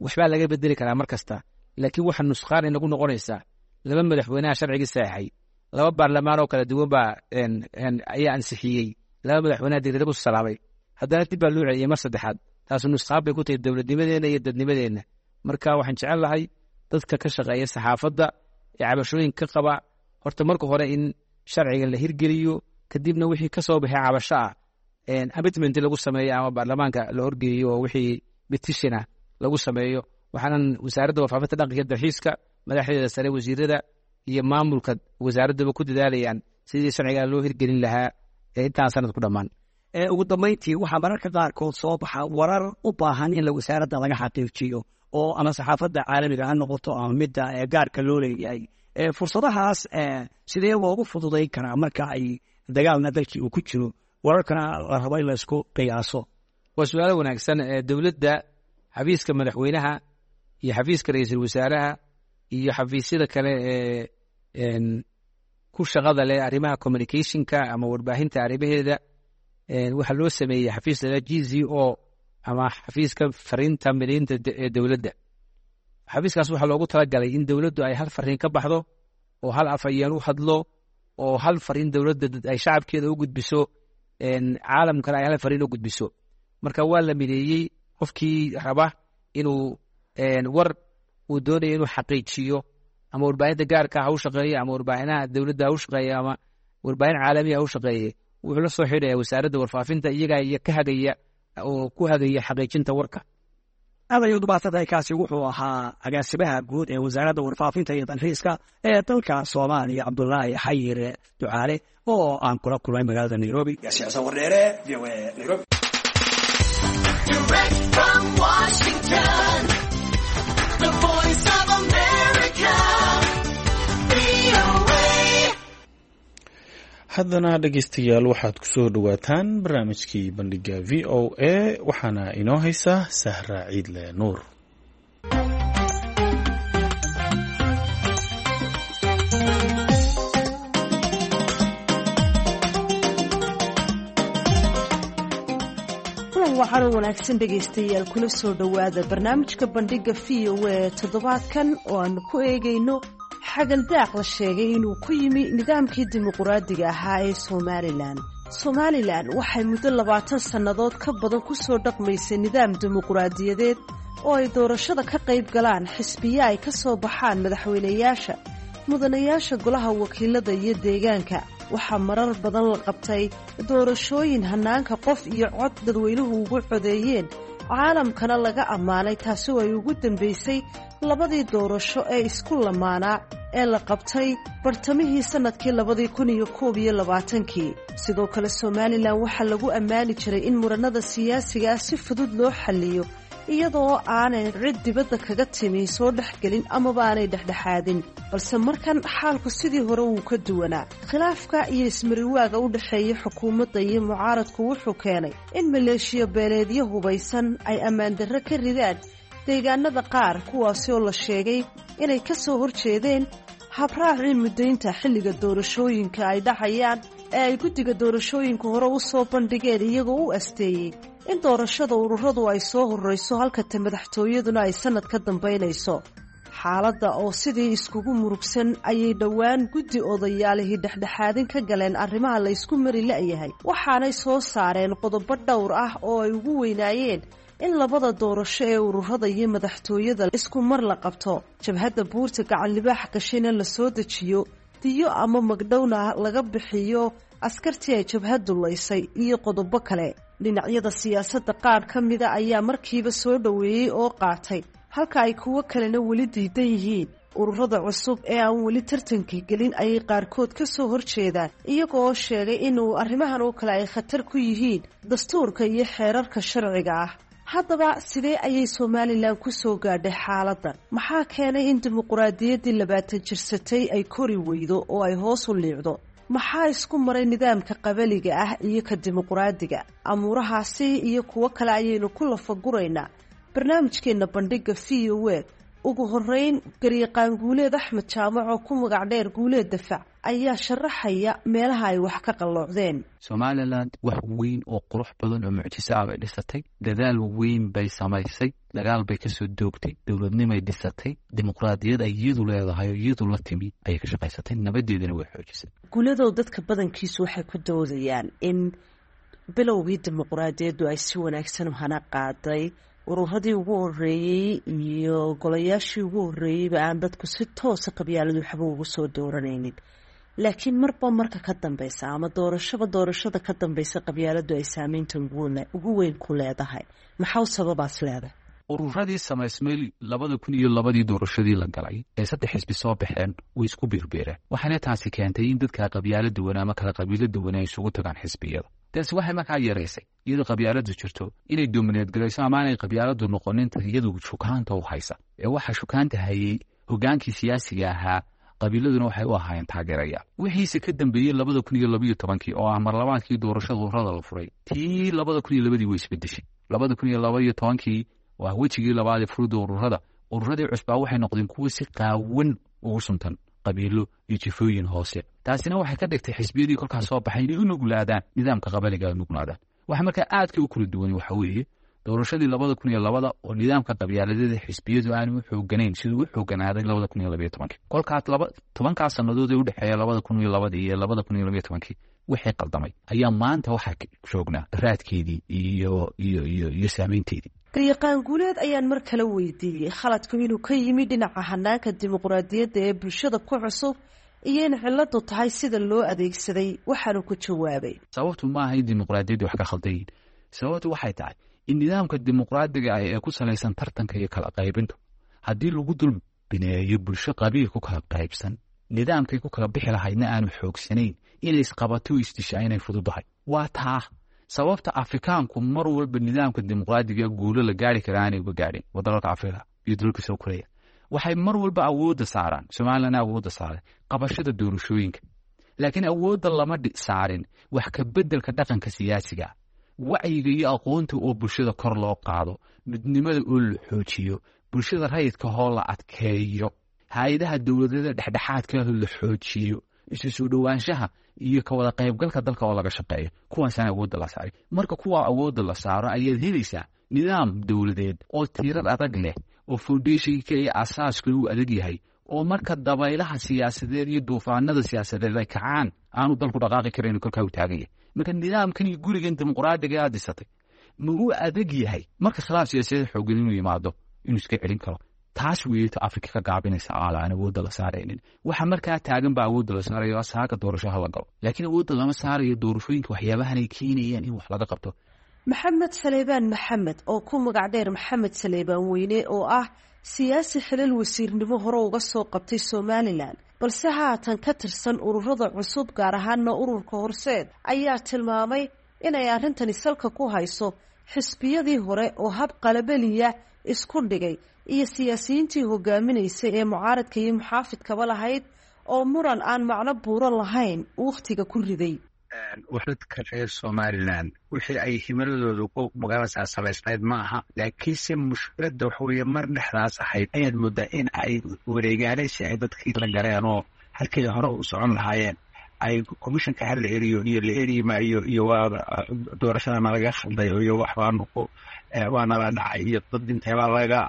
waxbaa laga bedeli karaa mar kasta, laakiin waxa nusqaan inagu noqonaysaa laba madaxweynaha sharcigii saxay, laba baarlamaan oo kala duwan baa ayaa ansixiyey, laba madaxweynaha degdega ku salaamay, haddana dib baa loo celiyey mar saddexaad. Taasu nusqaan bay ku tahay dowladnimadeenna iyo dadnimadeenna. Marka waxaan jecel lahay dadka ka shaqeeya saxaafadda ee cabashooyinka ka qaba, horta marka hore in sharciga la hirgeliyo, kadibna wixii ka soo baxay cabasho ah amendment lagu sameeyo ama baarlamaanka la horgeeyo oo wixii petition ah lagu sameeyo. Waxaanan Wasaaradda Warfaafinta, Dhaqanka iyo Dalxiiska, madaxdeeda sare, wasiirada iyo maamulka wasaaraddaba ku dadaalayaan sidii sharcigaa loo hirgelin lahaa intaan sanad ku dhammaan. Ugu dambeyntii, waxaa mararka qaarkood soo baxa warar u baahan in la wasaaradda laga xaqiijiyo, oo ama saxaafadda caalamiga ha noqoto ama midda gaarka loo leeyahay. Fursadahaas sidee loogu fududayn karaa marka ay dagaalna dalkii uu ku jiro, wararkana la rabo in la isku qiyaaso? Waa su-aalo wanaagsan. Dowladda, xafiiska madaxweynaha iyo xafiiska ra-iisul wasaaraha iyo xafiisyada kale ee ku shaqada leh arrimaha communicationka ama warbaahinta arrimaheeda, waxaa loo sameeyey xafiis la G C O ama xafiiska fariinta mideynta ee dowladda. Xafiiskaas waxaa loogu talagalay in dowladdu ay hal fariin ka baxdo, oo hal afhayeen u hadlo, oo hal fariin dowladda ay shacabkeeda u gudbiso, caalamkana ay hal fariin u gudbiso. Marka waa la mideeyey. Qofkii raba inuu war uu doonayo inuu xaqiijiyo Ama warbaahinta gaarka ha u shaqeeye, ama warbaahinaha dowladda ha u shaqeeye, ama warbaahin caalamiya ha u shaqeeye, wuxuu la soo xidhaya wasaaradda warfaafinta, iyagaa iyo ka hagaya oo ku hagaya xaqiijinta warka. Aad ayuu umaadsantahay. Kaasi wuxuu ahaa agaasimaha guud ee wasaaradda warfaafinta iyo dalxiiska ee dalka Soomaaliya, Cabdulaahi Xayir Ducaale, oo aan kula kulmay magaalada Nairobi. Yaasiin Xasan Wardheere, V O A, Nairobi. Direct from Washington, the Voice of America, V O A. Haddana dhegeystayaal, waxaad kusoo dhowaataan barnaamijkii Bandhiga V O A, waxaana inoo haysa Sahra Ciidle Nuur. Kulan waxaana wanaagsan dhegaystayaal, kula soo dhowaada barnaamijka Bandhiga V O A toddobaadkan oo aanu ku eegayno xagaldaaq la sheegay inuu ku yimi nidaamkii dimuquraadiga ahaa ee Somalilan. Somalilan waxay muddo labaatan sannadood ka badan ku soo dhaqmaysay nidaam dimuquraadiyadeed oo ay doorashada ka qayb galaan xisbiya ay ka soo baxaan madaxweynayaasha, mudanayaasha golaha wakiilada iyo deegaanka. Waxaa marar badan la qabtay doorashooyin hannaanka qof iyo cod dadweynuhu ugu codeeyeen, caalamkana laga ammaanay, taasi oo ay ugu dambaysay labadii doorasho ee isku lamaanaa ee la qabtay bartamihii sannadkii labadii kun iyo koob iyo labaatankii. Sidoo kale Somalilan waxaa lagu ammaani jiray in murannada siyaasiga ah si fudud loo xalliyo, iyadoo aanay cid dibadda kaga timi soo dhexgelin amaba aanay dhexdhexaadin. Balse markan xaalku sidii hore wuu ka duwanaa. Khilaafka iyo ismariwaaga u dhexeeya xukuumadda iyo mucaaradku wuxuu keenay in maleeshiyo beeleedyo hubaysan ay ammaandarro ka ridaan deegaanada qaar, kuwaasi oo la sheegay inay ka soo horjeedeen habraacii muddaynta xilliga doorashooyinka ay dhacayaan ee ay guddiga doorashooyinka hore u soo bandhigeen, iyagoo u asteeyey in doorashada ururadu ay soo horreyso halka ta madaxtooyaduna ay sannad ka dambaynayso. Xaaladda oo sidii iskugu murugsan ayay dhowaan guddi odayaalihii dhexdhexaadin ka galeen arrimaha la ysku mari la'yahay, waxaanay soo saareen qodobo dhowr ah oo ay ugu weynaayeen in labada doorasho ee ururada iyo madaxtooyada isku mar la qabto, jabhadda buurta Gacan Libaax gashayna la soo dejiyo, diyo ama magdhowna laga bixiyo askartii ay jabhaddu laysay, iyo qodobo kale. Dhinacyada siyaasadda qaar ka mida ayaa markiiba soo dhoweeyey oo qaatay, halka ay kuwo kalena weli diidan yihiin. Ururada cusub ee aan weli tartanka gelin ayay qaarkood ka soo horjeedaan, iyaga oo sheegay inuu arrimahan oo kale ay khatar ku yihiin dastuurka iyo xeerarka sharciga ah. Haddaba sidee ayay Somalilan ku soo gaadhay xaaladdan? Maxaa keenay in dimuquraadiyaddii labaatan jirsatay ay kori weydo oo ay hoos u liicdo? Maxaa isku maray nidaamka qabaliga ah iyo ka dimuquraadiga? Amuurahaasi iyo kuwo kale ayaynu ku lafaguraynaa barnaamijkeenna Bandhiga V O A. Ugu horeyn, garyaqaan Guuleed Axmed Jaamac oo ku magac dheer Guuleed Dafac ayaa sharaxaya meelaha ay wax ka qalloocdeen. Somaliland wax weyn oo qurux badan oo mucjiso ah bay dhisatay, dadaal weyn bay samaysay, dagaal bay kasoo doogtay, dowladnimay dhisatay, dimuqraadiyad ay iyadu leedahay oo iyadu la timi ayay ka shaqaysatay, nabadeedana way xoojisay. Guuladow, dadka badankiisu waxay ku doodayaan in bilowgii dimuqraadiyaddu ay si wanaagsan u hana qaaday, ururadii ugu horeeyey iyo golayaashii ugu horreeyeyba aan dadku si toosa qabyaaladu waxba ugu soo dooranaynin, laakiin marba marka ka dambeysa ama doorashaba doorashada ka dambeysa qabyaaladu ay saameynta ugu weyn ku leedahay. Maxaa u sababaas leedahay? Ururadii samaysmay labada kun iyo labadii doorashadii la galay ee saddex xisbi soo baxeen way isku biirbiireen, waxaana taasi keentay in dadka qabyaalo duwan ama kala qabiilo duwan ay isugu tagaan xisbiyada. Taasi waxay markaa yaraysay, iyadoo qabyaaladu jirto, inay domineed garayso ama aanay qabyaaladu noqonin iyadu shukaanta u haysa ee waxa shukaanta hayay hogaankii siyaasiga ahaa, qabiiladuna waxay u ahaayeen taageerayaal. Wixiise ka dambeeyey labada kun iyo labaiyo tobankii oo ah marlabaadkii doorashada ururada la furay, tii labada kun iyo labadii way isbedeshay. Labada kun iyo labaiyo tobankii waa wejigii labaad ee furida ururada. Ururadii cusbaa waxay noqdeen kuwo si qaawan ugu suntan qabiilo iyo jifooyin hoose. Taasina waxay ka dhigtay xisbiyadii kolkaas soo baxay inay u nuglaadaan nidaamka qabaliga, u nuglaadaan. Waxa markaa aadka u kala duwan waxa weeye doorashadii labada kun iyo labada oo nidaamka qabyaaladeeda xisbiyadu aanu u xooganayn siduu u xooganaaday labada kun iyo labayo tobankii. Kolkaas laba tobankaas sannadood ee udhexeeya labada kun iyo labadii iyo labada kun iyo labayo tobankii wixii qaldamay ayaa maanta waxaa joognaa raadkeedii iyo iyo iyo iyo saameynteedii. Garyaqaan Guuleed ayaan mar kale weydiiyey khaladku inuu ka yimi dhinaca hanaanka dimuqraadiyadda ee bulshada ku cusub iyo in ciladu tahay sida loo adeegsaday, waxaanu ku jawaabay: Sababtu maaha in dimuqraadiyaddu wax ka khaldayin. Sababtu waxay tahay in nidaamka dimuqraadiga ah ee ku salaysan tartanka iyo kala qaybintu haddii lagu dul bineeyo bulsho qabiil ku kala qaybsan, nidaamkay ku kala bixi lahaydna aanu xoogsanayn, inay isqabato isdishaa inay fududahay. Waa taa sababta Afrikaanku mar walba nidaamka dimuqraadiga guulo la gaari kara aanay uga gaadhin. Wadalalka Afrika iyo dalalka soo koraya waxay mar walba awoodda saaraan, Somalilandna awoodda saaray qabashada doorashooyinka, laakiin awoodda lama saarin wax ka beddelka dhaqanka siyaasiga, wacyiga iyo aqoonta oo bulshada kor loo qaado, midnimada oo la xoojiyo, bulshada rayidka hoo la adkeeyo, hay-adaha dowladada dhexdhexaadka la xoojiyo, isu soo dhowaanshaha iyo ka wada qaybgalka dalka oo laga shaqeeyo. Kuwaasaan awoodda la saaray. Marka kuwaa awoodda la saaro ayaad helaysaa nidaam dowladeed oo tiirar adag leh, oo foundationka iyo asaaska uu adag yahay, oo marka dabaylaha siyaasadeed iyo duufaanada siyaasadeed ay kacaan aanu dalku dhaqaaqi karayn, kolkaa uu taagan yahay. Marka nidaamkan iyo gurigan dimuqraadiga aad dhisatay ma uu adag yahay marka khilaaf siyaasadeed xoogan inuu yimaado inuu iska celin karo? Taas weeyta Afrika ka gaabinaysa aala aan awoodda la saaraynin. Waxa markaa taagan baa awoodda la saarayo saaka doorashaha la galo, laakiin awoodda lama saarayo doorashooyinka waxyaabahan ay keenayaan in wax laga qabto. Maxamed Saleebaan Maxamed oo ku magac dheer Maxamed Saleebaan Weyne, oo ah siyaasi xilal wasiirnimo hore uga soo qabtay Somalilan, balse haatan ka tirsan ururada cusub, gaar ahaana ururka Horseed, ayaa tilmaamay inay arrintani salka ku hayso xisbiyadii hore oo hab qalabeliya isku dhigay iyo siyaasiyiintii hogaaminaysay ee mucaaradka iyo muxaafidkaba lahayd oo muran aan macno buuro lahayn wakhtiga ku riday. Dadka reer Somaliland wixii ay himiladoodu ku magaaladaas samaysnayd maaha, laakiinse mushkiladda waxa weeye mar dhexdaas ahayd ayaad moodaa in ay wareegaanaysi ay dadkii la galeen oo halkii hore u socon lahaayeen ay commissionka ha la eriyo iyo la eri maayo iyo waa doorashadana laga khalday iyo waxbaanu ku waana la dhacay iyo dad inteebaa laga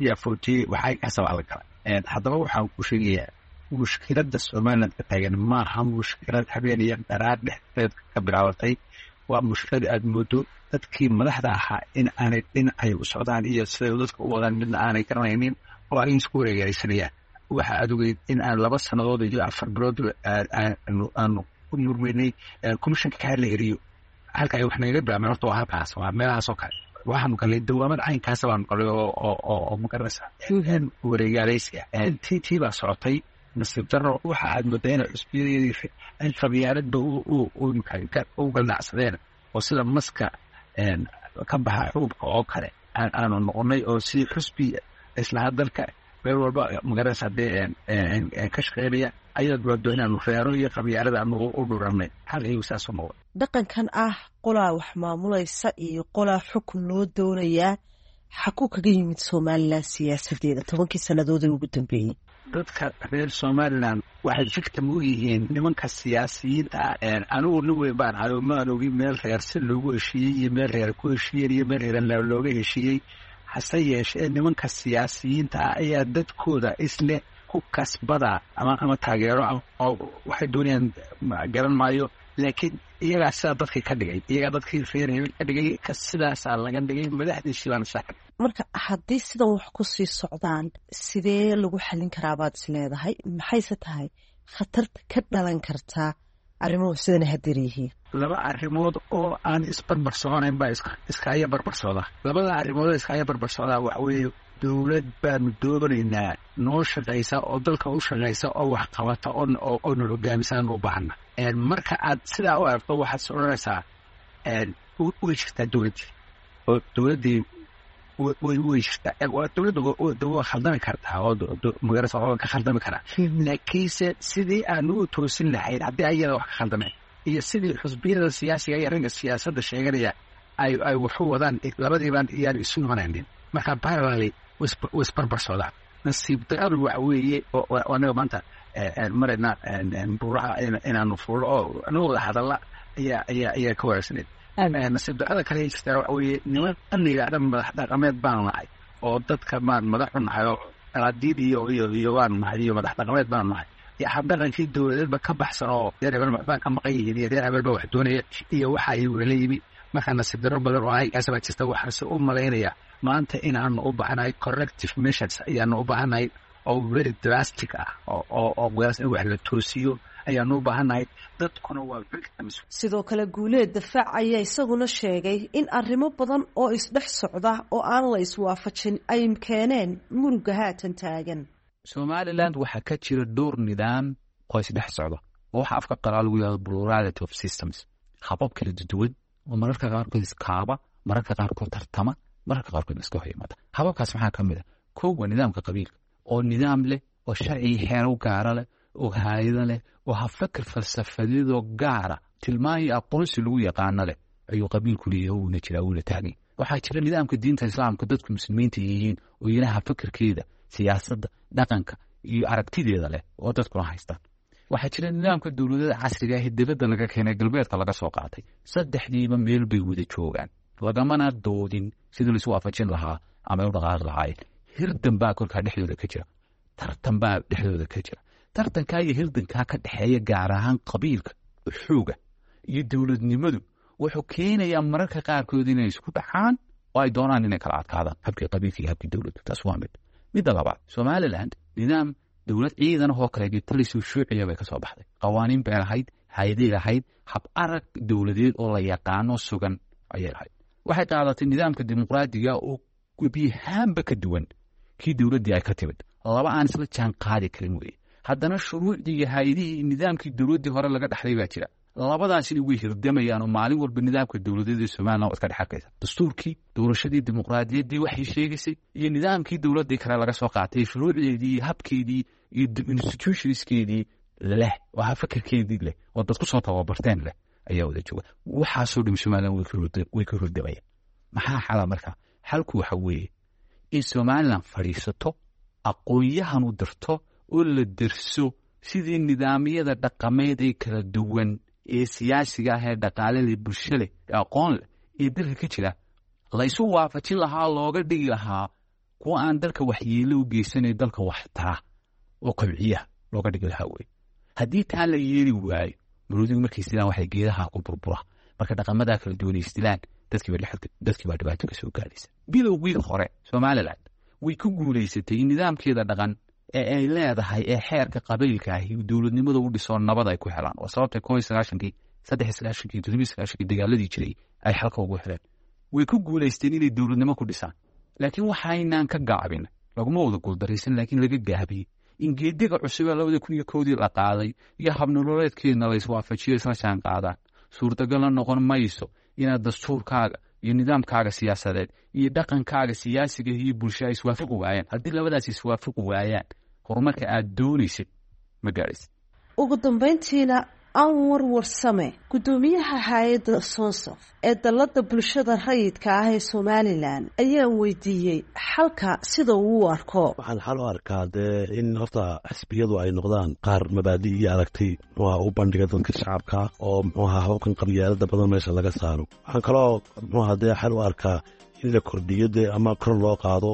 yaa footiyey, waxay kasabaa la galay. Haddaba waxaan ku sheegayaa, mushkiladda Somaliland ka taagan maaha mushkilad habeen iyo dharaar dhexdeed ka bilaabatay. Waa mushkilad aad moodo dadkii madaxda ahaa in aanay dhinacay u socdaan iyo siday dadka u wadaan midna aanay garanaynin oo ay isku wareegaysanayaan. Waxa aad ogeyd in aan laba sannadood iyo afar bilood aanu ku murmeynay commissionka kaa la eriyo. Halka ay wax nagaga bilaabmeen horta waa halkaas, waa meelahaas oo kale. Waxaanu galnay dawaamad caynkaasa baanu galnay oo oo magaranaysa wareegaalaysiga. Tii tii baa socotay. Nasiib daro waxa aad moodaa inay cusbiyadii ay qabyaaladba u galdacsadeen oo sida maska ka baxa xuubka oo kale aanu noqonay, oo sidii xusbi islaha dalka meel walba magaranaysa dee ka shaqeynaya ayaad moodo inaanu reero iyo qabyaalada aanu u dhuranay. Hal iyagu saasoo noqday. Dhaqankan ah qolaa wax maamulaysa iyo qolaa xukun loo doonayaa xakuu kaga yimid Somalilan siyaasadeeda tobankii sannadood ee ugu dambeeyey? Dadka reer Somaliland waxay victim u yihiin nimanka siyaasiyiinta ah. Anigu nin weyn baan ahay oo maan ogin meel reer si loogu heshiiyey iyo meel reer ku heshiiyeen iyo meel reer looga heshiiyey. Hase yeeshee nimanka siyaasiyiinta ah ayaa dadkooda isle ku kasbada ama ama taageero oo waxay doonayaan garan maayo, laakiin iyagaa sidaa dadkii ka dhigay, iyagaa dadkii reer hebel ka dhigay, sidaasaa laga dhigay madaxdiisii baana saa. Marka haddii sidan wax ku sii socdaan sidee lagu xallin karaa baad is leedahay? Maxayse tahay khatarta ka dhalan kartaa arrimuhu sidana hadeer yihiin? Laba arrimood oo aan isbarbar soconayn baa iskaaya barbar socda. Labada arrimood oo iskaaya barbar socdaa waxa weeye dowlad baanu doonaynaa noo shaqaysa oo dalka u shaqaysa oo wax qabata oo na hogaamisaan u baahana. Marka aad sidaa u aragto waxaad soconaysaa way jirtaa dowladdii oo dowladdii way way jirtaa. Dowladda waa khaldami kartaa oo magarasa waa ka khaldami karaa, laakiinse sidii aanu u toosin lahayn haddii ayada wax ka khaldameen iyo sidii xusbiyada siyaasiga iyo ragga siyaasadda sheeganaya ay ay waxu wadaan labadiibaan iyaan isu noqonaynin. Marka parallelly way isbarbar socdaan. Nasiib daradu waxa weeye anaga maanta marayna buuraha inaanu fuulo oo anagoo wada hadalla ayaa ayaa ayaa ka wanaagsaneed. Nasiib darada kale jirtaa waxa weeye niman yidhaahda madax dhaqameed baanu nahay oo dadka maan madaxu nahay oo alaadiid iyo iyo iyo waanu nahay iyo madax dhaqameed baanu nahay iyo habdhaqankii dowladeedba ka baxsan oo reer hebel waxbaa ka maqan yihiin iyo reer hebel ba wax doonaya iyo waxa ay wala yimi. Marka nasiib daro badan oo aygaas baa jirta. Waxaase u malaynaya Maanta inaanu u baahanahay corrective measures ayaanu u baahanahay oo very drastic ah, oo oo in wax la toosiyo ayaanu u baahanahay. Dadkuna waa victims. Sidoo kale Guuleed Dafaac ayaa isaguna sheegay in arrimo badan oo isdhex socda oo aan la iswaafajin ay keeneen muruga haatan taagan. Somaliland waxaa ka jira dhowr nidaam oo isdhex socda, oo waxa afka qalaa lagu yahdo plurality of systems, habab kala duwan oo mararka qaarkood iskaaba, mararka qaarkood tartama, mararka qaarkood iska hor yimaada. Hababkaas maxaa ka mid a? Kow, waa nidaamka qabiilka oo nidaam leh oo sharci xeero gaara leh oo haayado leh oo habfakar falsafadeedoo gaara, tilmaan iyo aqoonsi lagu yaqaano leh ayuu qabiilku leeyahay, wuuna jiraa, wuuna taagay. Waxaa jira nidaamka diinta Islaamka, dadku muslimiinta yihiin oo iyana habfakarkeeda, siyaasadda, dhaqanka iyo aragtideeda leh oo dadkuna haystaan. Waxaa jira nidaamka dowladada casriga ah ee dibadda laga keenay, galbeedka laga soo qaatay. Saddexdiiba meel bay wada joogaan, lagamana doodin sidii laisu waafajin lahaa ama ay u dhaqaaqi lahaayeen. Hirdan baa kolkaa dhexdooda ka jira, tartan baa dhexdooda ka jira. Tartankaa iyo hirdankaa ka dhexeeya, gaar ahaan qabiilka xooga iyo dowladnimadu, wuxuu keenayaa mararka qaarkood inay isku dhacaan oo ay doonaan inay kala adkaadaan habkii qabiilka iyo habkii dowladdu. Taas waa mid. Midda labaad, Somaliland nidaam dowlad ciidan oo kale talisoo shuuciya bay ka soo baxday. Qawaaniin bay lahayd, hayday lahayd, hab arag dowladeed oo la yaqaano sugan ayay lahayd. Waxay qaadatay nidaamka dimuqraadiga oo gebiyahaanba ka duwan kii dowladdii ay ka timid. Laba aan isla jaan qaadi karin weye. Haddana shuruucdii iyo hay-adihii nidaamkii dowladdii hore laga dhexlay baa jira. Labadaasina way hirdamayaan oo maalin walba nidaamka dowladeed ee Somaliland waad ka dhex arkaysa dastuurkii, doorashadii dimuqraadiyaddii waxay sheegaysay iyo nidaamkii dowladdii kale laga soo qaatay, shuruucdeedii iyo habkeedii iyo institutionskeedii leh oo hafakarkeedii leh oo dad ku soo tababarteen leh ayaa wada jooga. Waxaasoo dham Somaliland way ka hordamayaan. Maxaa xala marka? Xalku waxa weeye in Somaliland fadhiisato, aqoon-yahan u dirto oo la derso sidii nidaamyada dhaqameed ee kala duwan ee siyaasiga ah ee dhaqaale leh, bulsho leh, ee aqoon leh ee dalka ka jira la isu waafajin lahaa, looga dhigi lahaa kuwa aan dalka waxyeelo u geysanay, dalka wax tara oo kobciya looga dhigi lahaa wey. Haddii taa la yeeli waayo, maroodigu markay isdilaan waxay geedaha ku burbura. Marka dhaqamadaa kala duwan isdilaan, dadkii baa dhibaato ka soo gaadhaysa. Bilowgii hore Somaliland way ku guulaysatay in nidaamkeeda dhaqan ee ay leedahay ee xeerka qabiilka ahi dowladnimada u dhisoo nabad ay ku helaan, oo sababtay koo iyo sagaashankii, saddex iyo sagaashankii, toddobiyo sagaashankii dagaaladii jiray ay xalka ugu heleen. Way ku guulaysteen inay dowladnimo ku dhisaan, laakiin waxaynaan ka gaabin, laguma wada guuldaraysan, laakiin laga gaabiyey in geediga cusub ee labada kun iyo kowdii la qaaday iyo habnololeedkeedna la iswaafajiyo, isla jaan qaadaan. Suurtagalna noqon mayso inaad dastuurkaaga iyo nidaamkaaga siyaasadeed iyo dhaqankaaga siyaasiga iyo bulsho ay iswaafaqi waayaan. Haddii labadaas iswaafaqi waayaan, horumarka aad doonaysid ma gaadhaysid. Ugu dambeyntiina, Anwar Warsame, guddoomiyaha hay-adda Sonsof ee dallada bulshada rayidka ah ee Somalilan, ayaan weydiiyey xalka sida uu u arko. Waxaan xal u arkaa dee in horta xisbiyadu ay noqdaan qaar mabaadi iyo aragtay muxuuha u bandhiga dadka shacabka, oo muxuuha hababkan qabyaalada badan meesha laga saaro. Waxaan kaloo muxuuha dee xal u arkaa in la kordhiyo dee ama kor loo qaado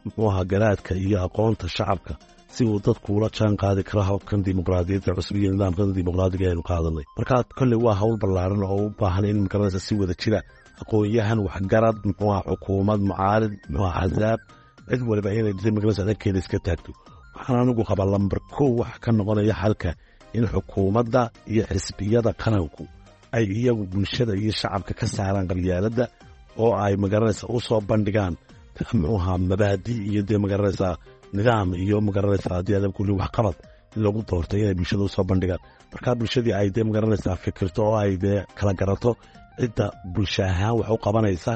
muxuuha garaadka iyo aqoonta shacabka, si uu dadku ula jaan qaadi karo hababkan dimuqraadiyadda cusub iyo nidaamkan dimuqraadiga aynu qaadanay. Marka kolley waa hawl ballaaran oo u baahan in magaranaysa si wada jira aqoon-yahan, waxgarad, muxuuha xukuumad, mucaarid, muxuuha axsaab, cid waliba inay magaranaysa dhankeeda iska taagto. Waxaan anigu qabaa lambar kow waxa ka noqonaya xalka in xukuumadda iyo xisbiyada qaranku ay iyagu bulshada iyo shacabka ka saaraan qabyaaladda oo ay magaranaysa u soo bandhigaan muxuuha mabaadi iyo dee magaranaysaa nidaam iyo magaranaysaa haddii adam kulli waxqabad in lagu doortay inay bulshada usoo bandhigaan. Markaa bulshadii ay dee magaranaysaa fikirto oo ay dee kala garato cidda bulsho ahaan wax u qabanaysa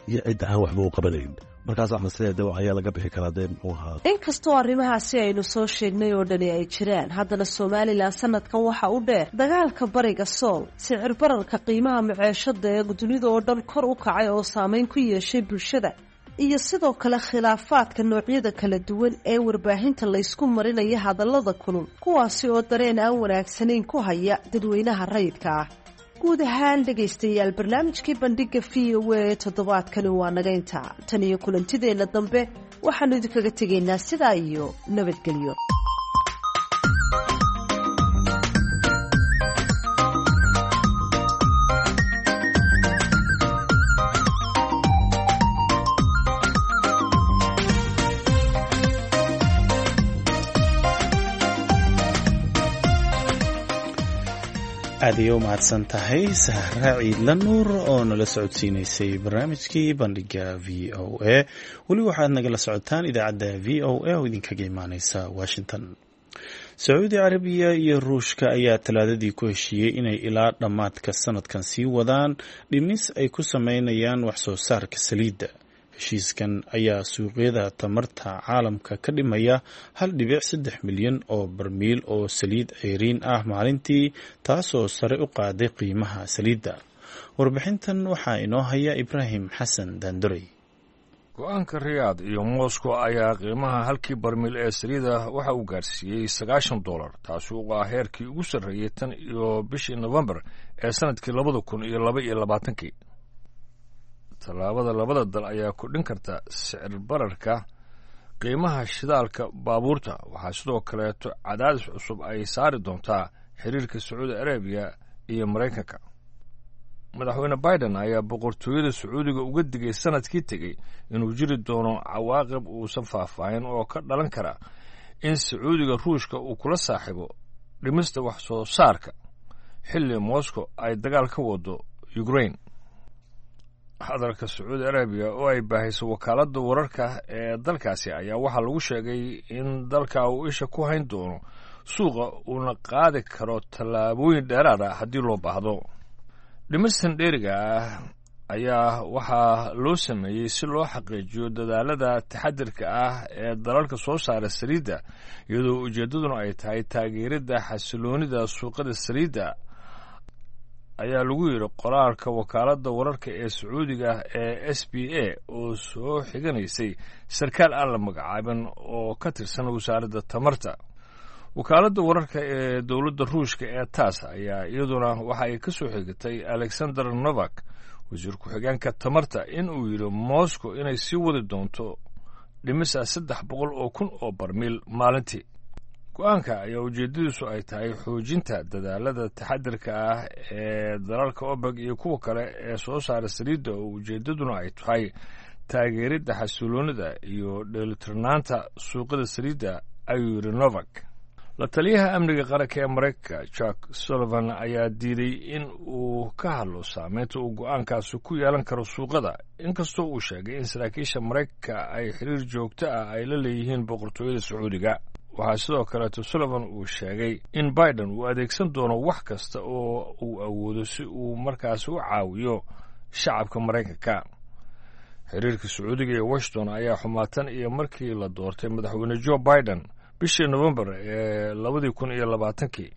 iyo cidda aan waxba u qabanayn. Markaas axmed sidee de ayaa laga bixi karaa dee muxuu ahaa. Inkastoo arrimahaasi aynu soo sheegnay oo dhani ay jiraan, haddana Somalilan sanadkan waxa u dheer dagaalka bariga Sool, sicir bararka qiimaha maceeshada ee dunida oo dhan kor u kacay oo saameyn ku yeeshay bulshada, iyo sidoo kale khilaafaadka noocyada kala duwan ee warbaahinta laysku marinaya hadallada kulul, kuwaasi oo dareen aan wanaagsanayn ku haya dadweynaha rayidka ah. Guud ahaan dhegaystayaal, barnaamijkii bandhiga V O A toddobaadkani waa naga intaa. Tan iyo kulantideenna dambe waxaanu idinkaga tegaynaa sidaa iyo nabadgelyo. Aad ayay u mahadsan tahay Sahra Ciidla Nuur oo nala socodsiineysay barnaamijkii bandhiga V O A. Weli waxaad nagala socotaan idaacadda V O A oo idinkaga imaaneysa Washington. Sacuudi Carabiya iyo Ruushka ayaa Talaadadii ku heshiiyey inay ilaa dhammaadka sanadkan sii wadaan dhimis ay ku sameynayaan wax soo saarka saliidda. Heshiiskan ayaa suuqyada tamarta caalamka ka dhimaya hal dhibic saddex milyan oo barmiil oo saliid ceyriin ah maalintii, taasoo sare u qaaday qiimaha saliidda. Warbixintan waxaa inoo haya Ibraahim Xasan Daandurey. Go-aanka Riyaad iyo Moscow ayaa qiimaha halkii barmiil ee saliida waxa uu gaarsiiyey sagaashan dollar, taasi oo ah heerkii ugu sarreeyey tan iyo bishii Nofembar ee sanadkii labada kun iyo laba iyo labaatankii. Tallaabada labada dal ayaa kordhin karta sicir bararka qiimaha shidaalka baabuurta. Waxaa sidoo kaleeto cadaadis cusub ay saari doontaa xiriirka Sacuudi Arabiya iyo Maraykanka. Madaxweyne Biden ayaa boqortooyada Sacuudiga uga digay sanadkii tegey inuu jiri doono cawaaqib uusan faahfaahin oo ka dhalan kara in Sacuudiga Ruushka uu kula saaxiibo dhimista wax soo saarka xilli Moscow ay dagaal ka wado Ukraine. Hadalka Sacuudi Arabiya oo ay baahiso wakaaladda wararka ee dalkaasi ayaa waxaa lagu sheegay in dalka uu isha ku hayn doono suuqa, uuna qaadi karo tallaabooyin dheeraad ah haddii loo baahdo. Dhimistan dheeriga ah ayaa waxaa loo sameeyey si loo xaqiijiyo dadaalada taxadirka ah ee dalalka soo saara saliidda, iyadoo ujeeddaduna ay tahay taageeridda xasiloonida suuqada saliidda, ayaa lagu yidhi qoraalka wakaaladda wararka ee Sacuudiga ee S B A oo soo xiganaysay sarkaal aan la magacaabin oo ka tirsan wasaaradda tamarta. Wakaaladda wararka ee dowladda Ruushka ee TASS ayaa iyaduna waxa ay ka soo xigatay Alexander Novak, wasiir ku-xigeenka tamarta, in uu yidhi Moscow inay sii wadi doonto dhimisa saddex boqol oo kun oo barmiil maalintii. Go-aanka ayaa ujeeddadiisu ay tahay xoojinta dadaalada taxadirka ah ee dalalka OPEC iyo kuwa kale ee soo saara saliidda, oo ujeeddaduna ay tahay taageeridda xasiloonida iyo dheelitirnaanta suuqada saliidda, ayuu yidhi Novak. La taliyaha amniga qaranka ee Maraykanka Jack Sullivan ayaa diiday in uu ka hadlo saameynta uu go-aankaasi ku yeelan karo suuqada, inkastoo uu sheegay in saraakiisha Maraykanka ay xiriir joogto ah ay la leeyihiin boqortooyada Sacuudiga. Waxaa sidoo kaleeto Sullivan uu sheegay in Biden uu adeegsan doono wax kasta oo uu awoodo si uu markaasi u caawiyo shacabka Maraykanka. Xiriirka Sacuudiga iyo Washington ayaa xumaatan iyo markii la doortay madaxweyne Joe Biden bishii Nofembar ee labadii kun iyo labaatankii.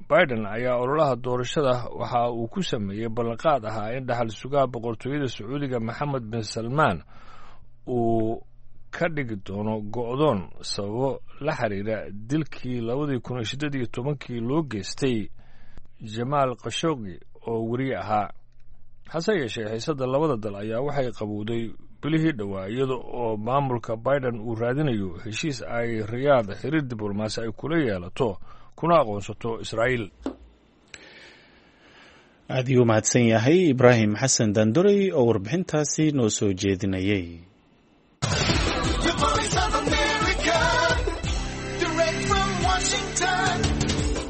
Biden ayaa ololaha doorashada waxa uu ku sameeyey ballanqaad ahaa in dhaxal sugaha boqortooyada Sacuudiga Maxamed bin Salmaan uu ka dhigi doono go'doon sababo la xiriira dilkii labadii kun iyo siddeed iyo tobankii loo geystay Jamaal Khashoggi oo weriye ahaa. Hase yeeshee, xiisadda labada dal ayaa waxay qabowday bilihii dhowaa, iyada oo maamulka Biden uu raadinayo heshiis ay Riyaad xiriir diblomaasi ay kula yeelato kuna aqoonsato Israa'iil. Aad ayuu mahadsan yahay Ibraahim Xasan Daandurey oo warbixintaasi noo soo jeedinayay. The Voice of America, direct from Washington,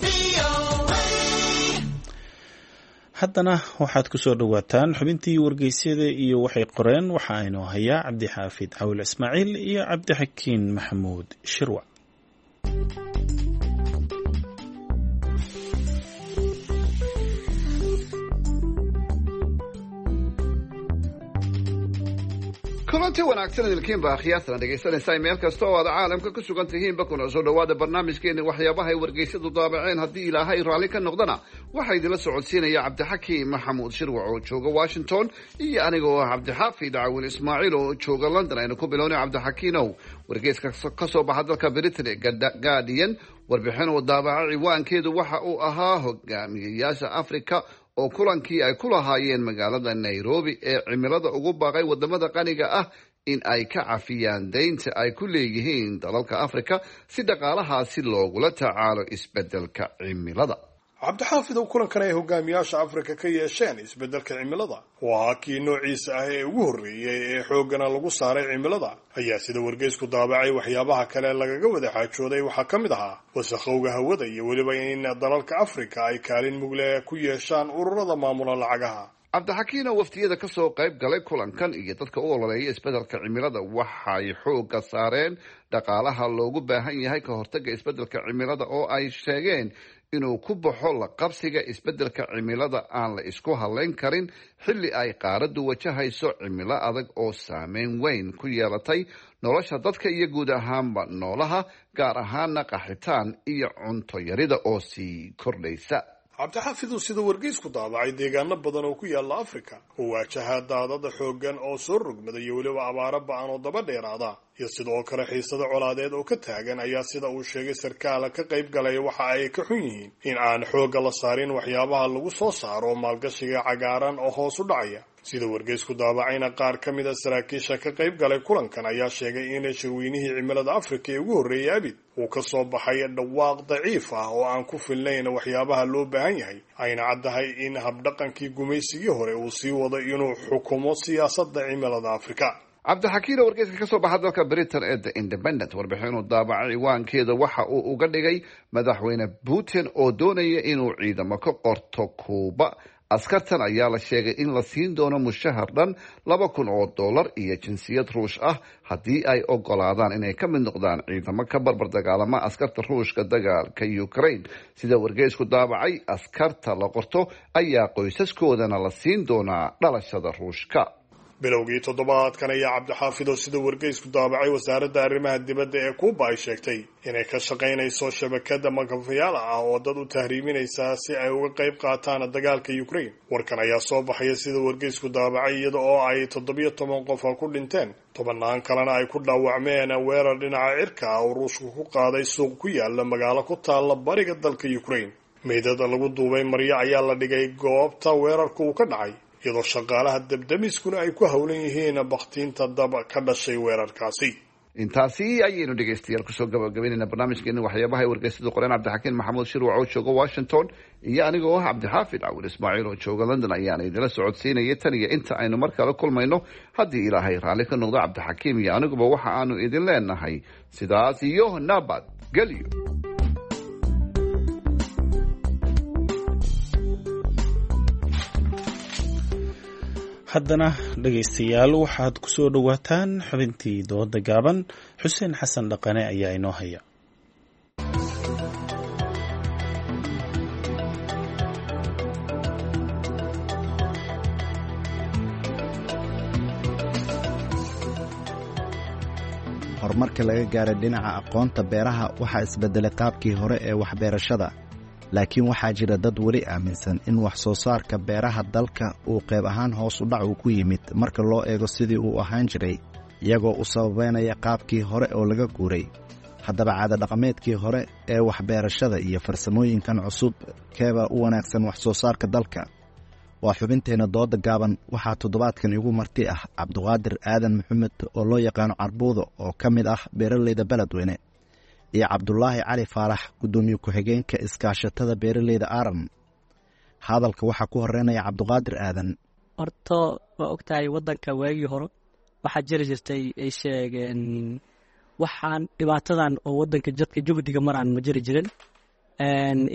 V O A. Haddana waxaad ku soo dhowaataan xubintii wargeysyada iyo waxay qoreen. Waxa aynoo hayaa Cabdixaafid Cawil Ismaaciil iyo Cabdixakiin Maxamuud Shirwac. Kulanti wanaagsan idilkiinba akhyaartana dhegaysanaysaa meel kasta oo aad caalamka ku sugan tihiinba, kuna soo dhawaada barnaamijkeeni waxyaabaha ay wargeysyadu daabaceen. Haddii Ilaahay raalli ka noqdana, waxaa idinla socodsiinaya Cabdixakiim Maxamuud Shirwac oo jooga Washington iyo aniga oo ah Cabdixaafid Cawil Ismaaciil oo jooga London. Aynu ku bilownay, Cabdixakiinow, wargeyska ka soo baxa dalka Britain ee Guardian warbixin uu daabaca ciwaankeedu waxa uu ahaa hogaamiyayaasha Africa oo kulankii ay ku lahaayeen magaalada Nairobi ee cimilada ugu baaqay wadamada qaniga ah in ay ka cafiyaan deynta ay ku leeyihiin dalalka Africa si dhaqaalahaasi loogula tacaalo isbedelka cimilada. Cabdixaafidow, kulankan ay hogaamiyaasha Afrika ka yeesheen isbeddelka cimilada oo ahaa kii noociisa ah ee ugu horreeyey ee xooggana lagu saaray cimilada, ayaa sida wargeysku daabacay waxyaabaha kale lagaga wada xaajooday waxaa ka mid ahaa wasakhowga hawada iyo weliba in dalalka Afrika ay kaalin mugle ku yeeshaan ururada maamula lacagaha. Cabdixakiin oo wafdiyada ka soo qayb galay kulankan iyo dadka u ololeeya isbeddelka cimilada waxay xoogga saareen dhaqaalaha loogu baahan yahay ka hortagga isbeddelka cimilada, oo ay sheegeen inuu ku baxo la qabsiga isbeddelka cimilada aan la isku halayn karin, xilli ay qaaraddu wajahayso cimilo adag oo saameyn weyn ku yeelatay nolosha dadka iyo guud ahaanba noolaha, gaar ahaana qaxitaan iyo cunto yarida oo sii kordhaysa. Cabdixaafidu, sida wargeysku daabacay, deegaano badan oo ku yaala Afrika oo waajaha daadada xooggan oo soo rogmada iyo weliba abaaro ba-an oo daba dheeraada iyo sidoo kale xiisado colaadeed oo ka taagan, ayaa sida uu sheegay sarkaala ka qayb galaya waxa ay ka xun yihiin in aan xoogga la saarin waxyaabaha lagu soo saaro maalgashiga cagaaran oo hoos u dhacaya. Sida wargeysku daabacayna, qaar ka mid a saraakiisha ka qayb galay kulankan ayaa sheegay in shirweynihii cimilada Afrika ee ugu horreeyay abid uu ka soo baxay dhawaaq daciif ah oo aan ku filnayn waxyaabaha loo baahan yahay, ayna caddahay in habdhaqankii gumaysigii hore uu sii wado inuu xukumo siyaasadda cimilada Afrika. Cabdixakiin oo wargeyska ka soo baxa dalka Britain ee The Independent warbixinuu daabacay ciwaankeeda waxa uu uga dhigay madaxweyne Putin oo doonaya inuu ciidamo ka qorto Kuuba. Askartan ayaa la sheegay in la siin doono mushahar dhan laba kun oo dollar iyo jinsiyad Ruush ah haddii ay ogolaadaan inay ka mid noqdaan ciidamo ka barbar dagaalama askarta Ruushka dagaalka Ukraine. Sida wargeysku daabacay, askarta la qorto ayaa qoysaskoodana la siin doonaa dhalashada Ruushka. Bilowgii toddobaadkan ayaa, Cabdixaafid oo sida wargeysku daabacay, wasaaradda arrimaha dibadda ee Kuuba ay sheegtay inay ka shaqaynayso shabakada makafayaal ah oo dad u tahriiminaysa si ay uga qayb qaataan dagaalka Ukraine. Warkan ayaa soo baxaya, sida wargeysku daabacay, iyada oo ay toddobiyo toban qof ku dhinteen, tobannaan kalena ay ku dhaawacmeen weerar dhinaca cirka ah oo Ruushku ku qaaday suuq ku yaala magaalo ku taalla bariga dalka Ukraine. Meydada lagu duubay maryo ayaa la dhigay goobta weerarku uu ka dhacay, iyadoo shaqaalaha dabdamiskuna ay ku howlan yihiin bakhtiinta dab ka dhashay weerarkaasi. Intaasi ayaynu dhegeystayaal kusoo gabagabaynayna barnaamijkeeni waxyaabaha ay wargeysadu qoreen. Cabdixakiin Maxamuud Shirwac oo jooga Washington iyo anigoo ah Cabdixaafid Cawil Ismaaciil oo jooga London ayaana idinla socodsiinaya tan iyo inta aynu mar kale kulmayno, haddii Ilaahay raalli ka noqdo. Cabdixakiim iyo aniguba waxa aanu idin leenahay sidaas iyo nabad gelyo. Haddana dhegaystayaal, waxaad ku soo dhowaataan xubintii dooda gaaban. Xuseen Xasan Dhaqane ayaa inoo haya. Horumarka laga gaaray dhinaca aqoonta beeraha waxaa isbedelay qaabkii hore ee waxbeerashada, laakiin waxaa jira dad weli aaminsan in wax soo saarka beeraha dalka uu qayb ahaan hoos u dhac uu ku yimid marka loo eego sidii uu ahaan jiray, iyagoo u sababeynaya qaabkii hore oo laga guuray. Haddaba, caadadhaqameedkii hore ee waxbeerashada iyo farsamooyinkan cusub, keebaa u wanaagsan wax soo saarka dalka? Waa xubinteenna dooda gaaban. Waxaa toddobaadkan igu marti ah Cabduqaadir Aadan Maxamed oo loo yaqaano Carbuudo oo ka mid ah beeraleyda Beledweyne, iyo Cabdulaahi Cali Faarax, guddoomiye ku-xigeenka iskaashatada beeraleyda Aran. Hadalka waxaa ku horeynaya Cabduqaadir Aadan. Horto waa ogtahay, waddanka waagii hore waxaa jiri jirtay ay sheegeen waxaan dhibaatadan oo waddanka jadka jubdiga maraan ma jiri jirin.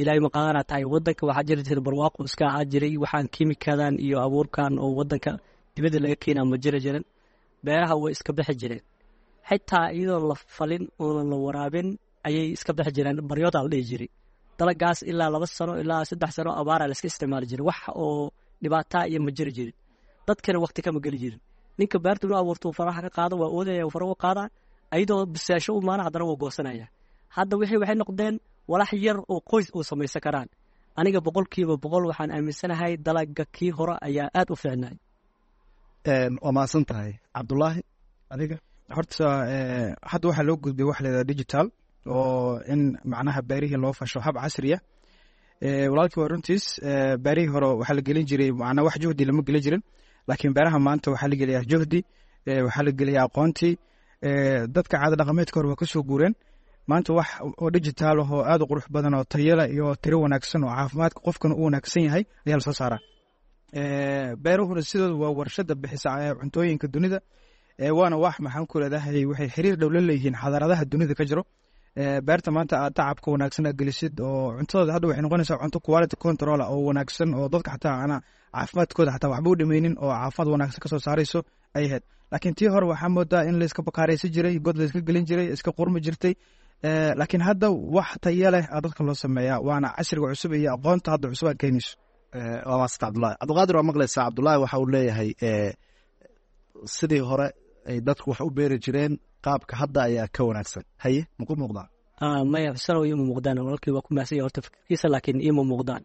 Ilaahay maqaadana tahay, waddanka waxaa jiri jiray barwaaqo iska ahaa jiray. Waxaan kiimikadan iyo abuurkan oo waddanka dibadda laga keenaa ma jiri jirin. Beeraha way iska bixi jireen, xitaa iyadoo la falin oonan la waraabin ayay iska bixi jireen. Baryoodaa la dhihi jiray dalagaas ilaa laba sano ilaa saddex sano abaaraa la iska isticmaali jiray. Wax oo dhibaataa iyo ma jiri jirin, dadkana waqti kama geli jirin. Ninka beerta inuu abuurto faraha ka qaado waa oodaya, fara u qaadaa ayadoo bisaasho u maana, haddana waa goosanaya. Hadda wixii waxay noqdeen walax yar oo qoys uu samaysan karaan. Aniga boqolkiiba boqol waxaan aaminsanahay dalaga kii hore ayaa aada u fiicnay. Waa mahadsan tahay, Cabdulaahi. Adiga? Horta hadda waxaa loo gudbay waxa la yidhaha digital, oo in macnaha beerihii loo fasho hab casriya. Walaalkii waa runtiis, beerihii hore waxaa la gelin jiray macnaa wax juhdi lama gelin jirin, laakiin beeraha maanta waxaa la geliyaa juhdi, waxaa la geliyaa aqoontii. Dadka caada dhaqameedka hore waa kasoo guureen, Maanta wax oo digital ah oo aad u qurux badan oo tayala iyo tiro wanaagsan oo caafimaadka qofkana u wanaagsan yahay ayaa lasoo saaraa. Beeruhuna sidooda waa warshada bixisa cuntooyinka dunida, waana wax maxaan ku leedahay waxay xiriir dhow la leeyihiin xadaaradaha dunida ka jiro. Beerta maanta aad tacabka wanaagsan aad gelisid oo cuntadooda hadda waxay noqonaysaa cunto quality control oo wanaagsan oo dadka xataa ana caafimaadkooda xataa waxba u dhameynin oo caafimaad wanaagsan kasoo saarayso ay ahayd. Laakiin tii hore waxaa moodaa in layska bakaaraysan jiray, god layska gelin jiray, iska qurmi jirtay. Laakiin hadda wax tayo leh aa dadka loo sameeyaa, waana casriga cusub iyo aqoonta hadda cusub aad keenayso. Waa maasanta Cabdullahi. Cabdiqaadir, waa maqlaysaa, Cabdullaahi waxa uu leeyahay sidii hore ay dadku wax u beeri jireen qaabka hadda ayaa ka wanaagsan. Haye, maku muuqdaa? Maya xusanow, iima muuqdaan. Walaalkii waa ku mahadsan yahay horta fikirkiisa, laakiin iima muuqdaan.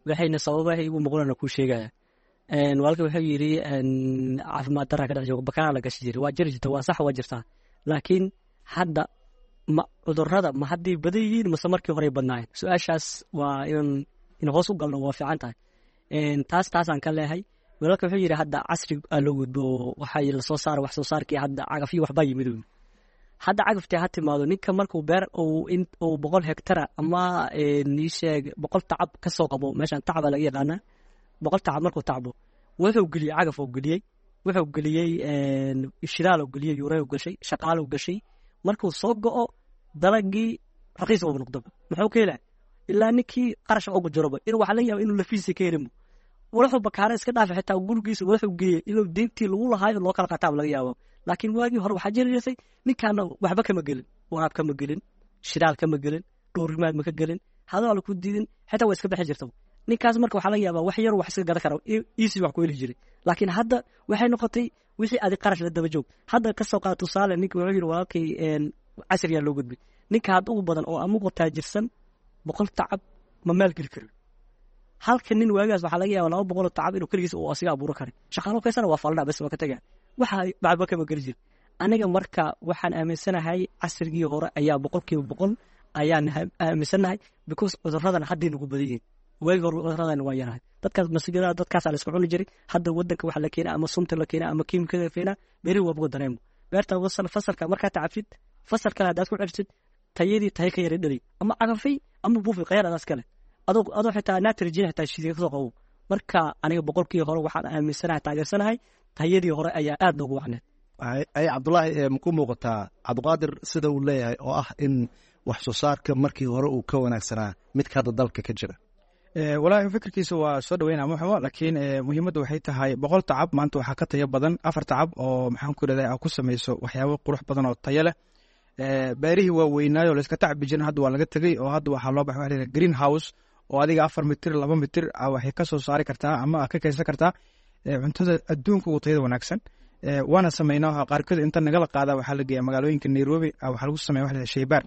Waxayna sababaha iigu muuqdaan kuu sheegaya. Walaalkii wuxuu yidhi caafimaad darraa ka dhex joogo, bakaraa la gashi jiray, waa jiri jirta, waa sax, waa jirtaa, laakiin hadda ma cudurrada ma hadday badan yihiin mase markii horey badnaayeen? Su-aashaas waa inaan in hoos u galno waa fiican tahay. Taas taasaan ka leehay. Walaalka wuxuu yidhi hadda casri aa loo gudbo oo waxay lasoo saara wax soo saarkii hadda cagafyo waxbaa yimid. Hadda cagaftii ha timaado, ninka markuu beer uu boqol hektara ama ii sheeg boqol tacab ka soo qabo, meeshaan tacaba laga yaqaanaa, boqol tacab markuu tacbo wuxuu geliyey cagaf oo geliyey, wuxuu geliyey shidaal oo geliyey, yuurey oo gashay, shaqaal oo gashay. Markuu soo go'o dalagii raqiis ugu noqdoba, muxuu ka helaa? Ilaa ninkii qarash ugu jiroba inuu waxaa laga yaaba inuu lafiisa ka helimo, wuxuu bakaara iska dhaafay, xitaa gurigiisa wuxuu geeyey inuu deyntii lagu lahaayo loo kala qataaba laga yaabo. Laakiin waagii hore waxaa jiri jirtay ninkaana waxba kama gelin, waraab kama gelin, shidaal kama gelin, dhowrimaad ma ka gelin, hadal ku diidin, xitaa waa iska bixi jirta ninkaas. Marka waxaa laga yaabaa wax yar wax iska gadan kara, easy wax ku heli jiray. Laakiin hadda waxay noqotay wixii adi qarash la daba joog. Hadda kasoo qaad tusaale, ninka wuxuu yidhi walaalkay casriyaa loo gudbay. Ninka hadda ugu badan oo amugu taajirsan boqol tacab ma maalgeli karin. Halka nin waagaas waxaa laga yaabaa laba boqol oo tacab inuu keligiis uu asiga abuuro karay, shaqaalo kaysana waa faldhaa bas waa ka tagaa, waxa waxba kama geli jir. Aniga marka waxaan aaminsanahay casrigii hore ayaa boqolkiiba boqol ayaan aaminsanahay, because cudurradan hadday nagu badan yihiin. Waagii hore cudurradan waa yarahay, dadkaas masigada dadkaasaa la iska cuni jiray. Hadda wadanka waxa la keenaa ama sunta la keenaa ama kiimikada la keenaa, beerihi waa buga dareemo. Beerta wasal fasalka markaa tacabtid, fasal kale haddaad ku celisid tayadii tayo ka yara dhali, ama cagafay ama buufi khayar adaas kale adoo adoo xitaa nitrogen xitaa shidiga kasoo qabo. Marka aniga boqolkii hore waxaan aaminsanahay, taageersanahay tayadii hore ayaa aad noogu wacneed. Ay Cabdullaahi, maku muuqataa Cabdiqaadir sida uu leeyahay oo ah in wax soo saarka markii hore uu ka wanaagsanaa midka hadda dalka ka jira? Walaahi fikirkiisa waa soo dhaweynaa muxumo, laakiin muhiimadda waxay tahay boqol tacab maanta waxaa ka tayo badan afar tacab oo maxaan ku idhahdaa aa ku samayso waxyaabo qurux badan oo tayo leh. Beerihii waa weynaayo layska tacbi jirin, hadda waa laga tegey oo hadda waxaa loo baxay waxa la yidhaha green house oo adiga afar mitir laba mitir waxay ka soo saari kartaa ama ka kaysan kartaa cuntada adduunka ugu tayada wanaagsan. Waana sameynaa qaarkood, inta nagala qaadaa waxaa la geeyaa magaalooyinka Nairobi, waxaa lagu sameeya waxa la yidhaha shaybaar.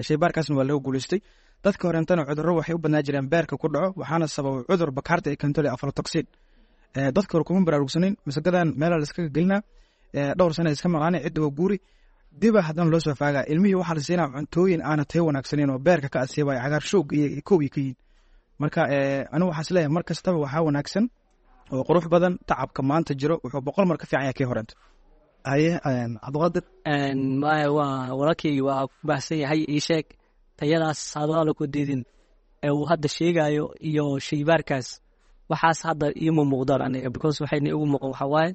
Shaybaarkaasna waa laga guulaystay. Dadka horentana cudurro waxay u badnaa jireen beerka ku dhaco, waxaana sababay cudur bakaarta ay keento aflatoxin. Dadka hore kuma baraarugsanin masagadan meelaa la iskaga gelinaa, dhowr sana iska maqaanay, cidda waa guuri, diba haddana loo soo faagaa ilmihii waxaa la siinaa cuntooyin aana tayo wanaagsaneyn oo beerka ka asiibaya, cagaar shoog iyo kow iyo ka yihin. Marka anigu waxaa isleeyahay mar kastaba waxaa wanaagsan oo qurux badan tacabka maanta jiro wuxuu boqol mar ka fiican yahay kii horenta. Haye Cabdiqaadir. Maya, waa walaalkay waa ku baahsan yahay. Ii sheeg tayadaas hadala ku diidin ee uu hadda sheegayo iyo shaybaarkaas, waxaas hadda iima muuqdaan aniga, because waxayna igu muuqan waxaa waaye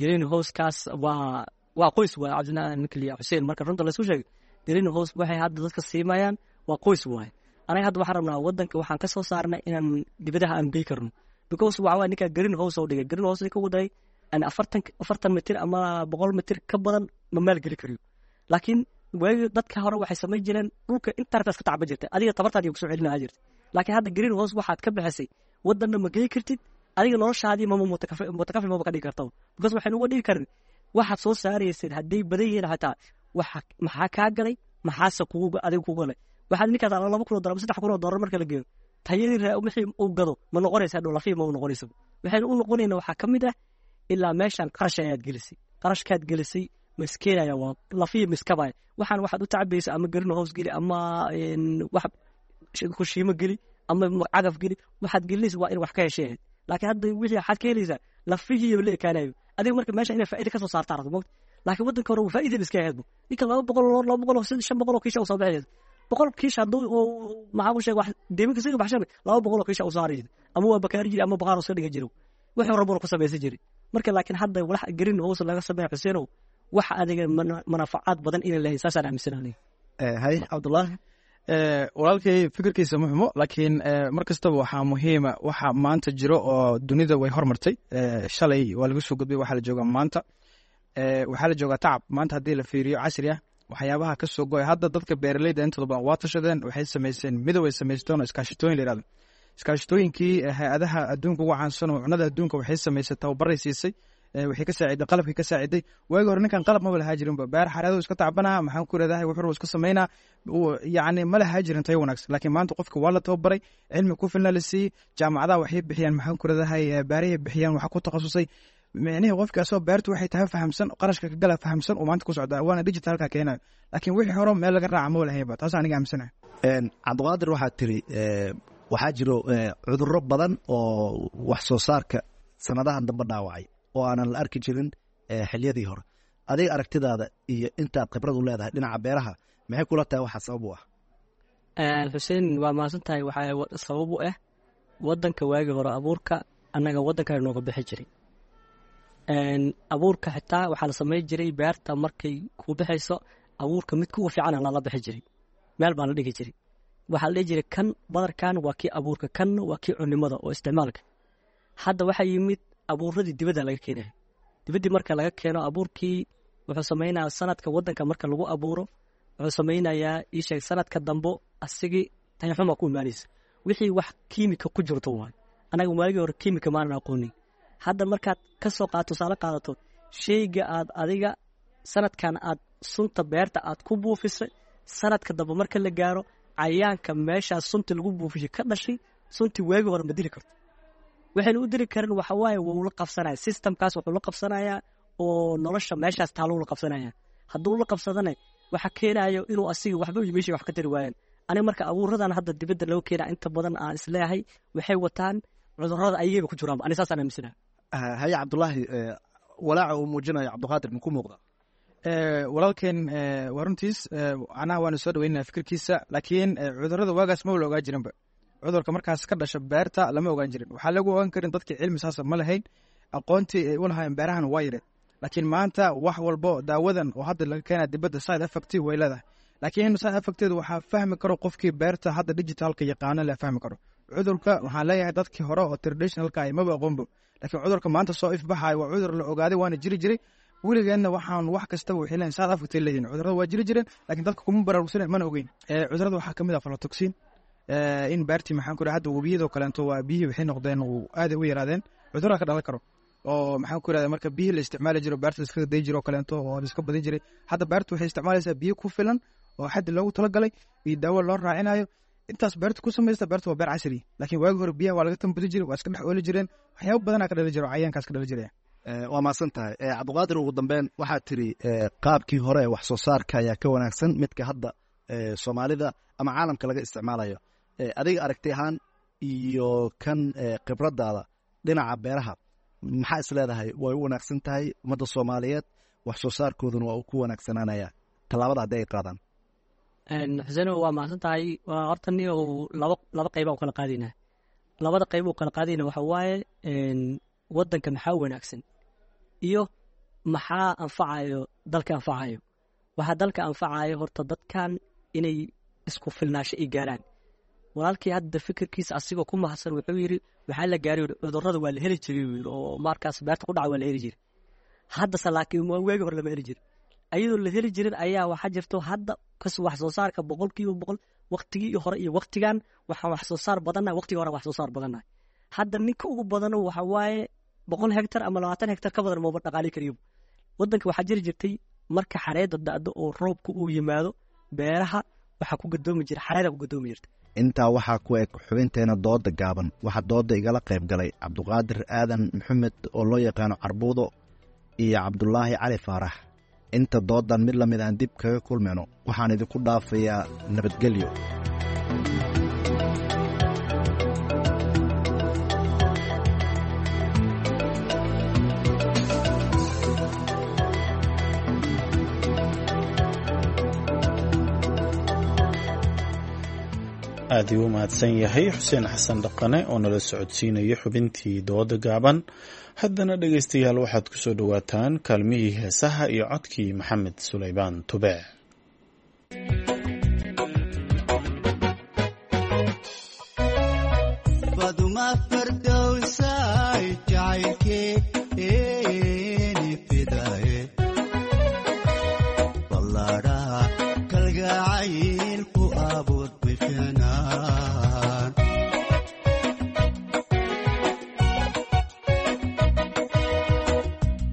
green housekaas waa waa qoys waaye. Cabdinaa ninkaliya Xuseen, marka runta laisku sheegay green house waxay hadda dadka siimayaan waa qoys waaye. Anaga hadda waxaan rabnaa wadanka waxaan ka soo saarnay inaan dibadaha aan gey karno, because waxa waaye ninkaa green house oo dhigay, green house ka waday aan afartan afartan mitir ama boqol mitir ka badan ma maalgeli kariyo. Laakiin waagi dadka hore waxay samayn jireen dhulka intartaas ka tacba jirtay, adiga tabartaadi kusoo celinaa jirtay. Laakiin hadda green house waxaad ka bixisay wadanna ma gey kartid, adiga noloshaadii mama mutakafi maba ka dhigi kartaba, because waxaynu uga dhigi karin waxaad soo saaraysid hadday badan yihiin xataa waxa maxaa kaa galay, maxaase kugu adiga kugu galay? Waxaad ninkaas laba kun oo dollar ama saddex kun oo dollar marka la geeyo tayadii wixii uu gado ma noqonaysa dhow, lafii ma u noqonaysa. Waxaynu u noqonayna waxaa ka mid ah ilaa meeshan qarash ayaad gelisay, qarashkaad gelisay ma iskeenaya, waa lafii miskabaya. Waxaan waxaad u tacabaysa ama green house geli ama wax kushiimo geli ama cagaf geli, waxaad gelinaysa waa in wax ka heshay ahayd. Laakiin hadda wixii waxaad ka helaysaa lafihii la ekaanayo adiga. Marka meesha inay faa'iida kasoo saartaa rabto mogta, Laakiin waddanka hore faa'iida iska ahaydbu ninka laba boqol oo laba boqol oo shan boqol oo kiisha u soo baxaysa, boqol kiisha hadduu maxaa ku sheeg wax deeminka siga baxshan, laba boqol oo kiisha u saari jiray, ama waa bakaari jiray ama baqaar iska dhigan jiray, wuxuu rabona ku samaysan jiray. Marka laakiin hadda walax green house laga sameeya, Xuseenow, wax adiga manafacaad badan inay leeyahay saasaan aaminsanahay. Hay Cabdullaahi. Walaalkay fikirkiisa ma xumo, laakiin mar kastaba waxaa muhiima waxa maanta jiro oo dunida way hormartay. Shalay waa laga soo gudbay, waxaa la joogaa maanta, waxaa la joogaa tacab maanta haddii la fiiriyo casri ah, waxyaabaha ka soo go'ay. Hadda dadka beeraleyda intooda badan waa tashadeen, waxay samaysteen midow ay samaysteen oo iskaashitooyin la yihahdo. Iskaashitooyinkii hay-adaha adduunka ugu caansan oo cunada adduunka waxay samaysay tababaray siisay, waxay ka saaciday qalabkii ka saaciday. Waagi hore ninkan qalab maba lahaa jirinba, beer xareedu iska tacbanaa, maxaan ku leedahay, wuxuu iska samaynaa, yacni ma lahaa jirin tayo wanaagsan. Laakiin maanta qofka waa la tababaray, cilmi ku filna la siiyey, jaamacadaha waxay bixiyaan, maxaan ku leedahay, beerahay bixiyaan, waxa ku takhasusay micnihii qofka asoo beertu waxay tahay fahamsan, qarashka ka gala fahamsan uu maanta ku socdaa, waana digitalka keenayo. Laakiin wixii hore meel laga raaca ma lahayba, taas aniga aaminsanahay. Cabdiqaadir, waxaad tiri waxaa jiro cudurro badan oo wax soo saarka sanadahan dambe dhaawacay oo aanan la arki jirin xiliyadii hore. Adiga aragtidaada iyo intaad khibrad u leedahay dhinaca beeraha, maxay kula tahay waxaa sabab u ah? Xuseen, waa mahadsan tahay. Waxaa sabab u ah waddanka waagii hore abuurka annaga waddanka nooga bixi jiray. Abuurka xitaa waxaa la samayn jiray beerta markay kuu bixayso abuurka mid kuwa fiican lala bixi jiray, meel baa la dhigi jiray. Waxaa la dhihi jiray kan badarkan waa kii abuurka, kanna waa kii cunimada oo isticmaalka. Hadda waxaa yimid abuuradii dibadda laga keenayo. Dibaddii marka laga keeno abuurkii wuxuu samaynayaa sanadka waddanka marka lagu abuuro wuxuu samaynayaa ii sheeg sanadka dambo asigii tayaxuma ku imaanaysa, wixii wax kiimika ku jirto waay. Anaga waagii hore kiimika maanan aqoonin. Hadda markaad ka soo qaado tusaale qaadato sheyga aad adiga sanadkan aad sunta beerta aad ku buufisay, sanadka dambe marka la gaaro cayaanka meeshaas sunta lagu buufishay ka dhashay suntii waagii hore ma dili karto. Waxaynu u diri karin waxa waaye wuu la qabsanaya systemkaas, wuxuu la qabsanayaa oo nolosha meeshaas taaluu la qabsanaya. Hadduu la qabsadana waxa keenayo inuu asiga waxba meesha wax ka tari waayaan. Aniga marka abuuradan hadda dibadda loo keena inta badan aan isleeyahay waxay wataan cudurrada ayagaba ku jiraan, ani saasaan aaminsanahay. Haye Cabdulaahi, walaaca uu muujinayo Cabdiqaadir maku muuqda? Walaalkeen waa runtiis, anaha waanu soo dhaweynaya fikirkiisa, laakiin cudurrada waagaas ma la ogaa jirinba. Cudurka markaas ka dhasha beerta lama ogaan jirin, waxaa lagu ogaan karin dadkii cilmi saasa ma lahayn, aqoontii ay u lahaayeen beerahan waa yareen. Laakiin maanta wax walbo daawadan oo hadda laga keena dibadda side effect way leedahay, laakiin side effecteedu waxaa fahmi karo qofkii beerta hadda digitalka yaqaano la fahmi karo. Cudurka waxaan leeyahay dadkii hore oo traditionalka ay maba aqoonbo, laakiin cudurka maanta soo ifbaxayo waa cudur la ogaaday, waana jiri jiray weligeenna. Waxaan wax kastaba waxay leeyihin side effect ay leeyihin. Cudurrada waa jiri jireen, laakiin dadka kuma baraarugsanen, mana ogeyn. Cudurrada waxaa kamid ah aflatoxin in beertii, maxaan ku hadda webiyadoo kaleeto waa biyihii waxay noqdeen aad u yaraadeen, cudurraa ka dhalan karo oo maxaan ku irahda marka biyihii la isticmaali jiro beerta la iska day jiro oo kaleeto oo la iska badin jiray. Hadda beertu waxay isticmaalaysaa biyo ku filan oo xaddi loogu talagalay iyo daawo loo raacinayo, intaas beerta ku samaysta. Beerta waa beer casri, laakiin waagi hore biyaha waa laga tambadin jiray, waa iska dhex ooli jireen, waxyaabo badanaa ka dhali jiro, cayaankaas ka dhali jiraya. Waa mahadsan tahay Cabdiqaadir. Ugu dambeyn waxaad tiri qaabkii hore wax soo saarka ayaa ka wanaagsan midka hadda Soomaalida ama caalamka laga isticmaalayo. Adiga aragti ahaan iyo kan khibradaada dhinaca beeraha, maxaa is leedahay way u wanaagsan tahay ummadda Soomaaliyeed, wax soo saarkooduna waa uu ku wanaagsanaanaya tallaabada haddii ay qaadaan? Xuseen, waa mahadsan tahay. Horta ni laba laba qayba u kala qaadaynaa. Labada qayb u kala qaadayna waxa waaye waddanka maxaa wanaagsan iyo maxaa anfacayo dalka anfacayo. Waxaa dalka anfacayo horta dadkan inay isku filnaasho ay gaaraan. Walaalkii hadda fikirkiisa asigoo ku mahadsan wuxuu yidhi waxaa la gaaray cudurrada waa la heli jiray yiri, oo markaas beerta ku dhaca waa la heli jiray. Haddase laakiin waagi hore lama heli jirin. Ayadoo la heli jirin ayaa waxaa jirto hadda kas wax soo saarka boqolkiiba boqol waqtigii hore iyo waqtigan waxaan wax soo saar badannahay, waqtigii hore wax soo saar badannahay. Hadda ninka ugu badano waxa waaye boqol hektar ama labaatan hektar ka badan maba dhaqaali kariyo. Waddanka waxaa jiri jirtay marka xareedda da'do oo roobka uu yimaado beeraha waxaa ku gadoomi jira xareeda ku gadoomi jirta. Intaa waxaa ku eg xubinteena dooda gaaban. Waxaa dooda igala qayb galay Cabdiqaadir Aadan Maxamed oo loo yaqaano Carbuudo iyo Cabdulaahi Cali Faarax. Inta doodan mid lamid aan dib kaga kulmayno, waxaan idinku dhaafayaa nabadgelyo. Aad igu mahadsan yahay Xuseen Xasan Dhaqane oo nala socodsiinaya xubintii dooda gaaban. Haddana dhegaystayaal, waxaad ku soo dhowaataan kaalmihii heesaha iyo codkii Maxamed Sulaymaan Tube. Baduma fardowsay jacaylkeeni fidaye, ballaadhaha kalgacayl ku abuur bifinaan.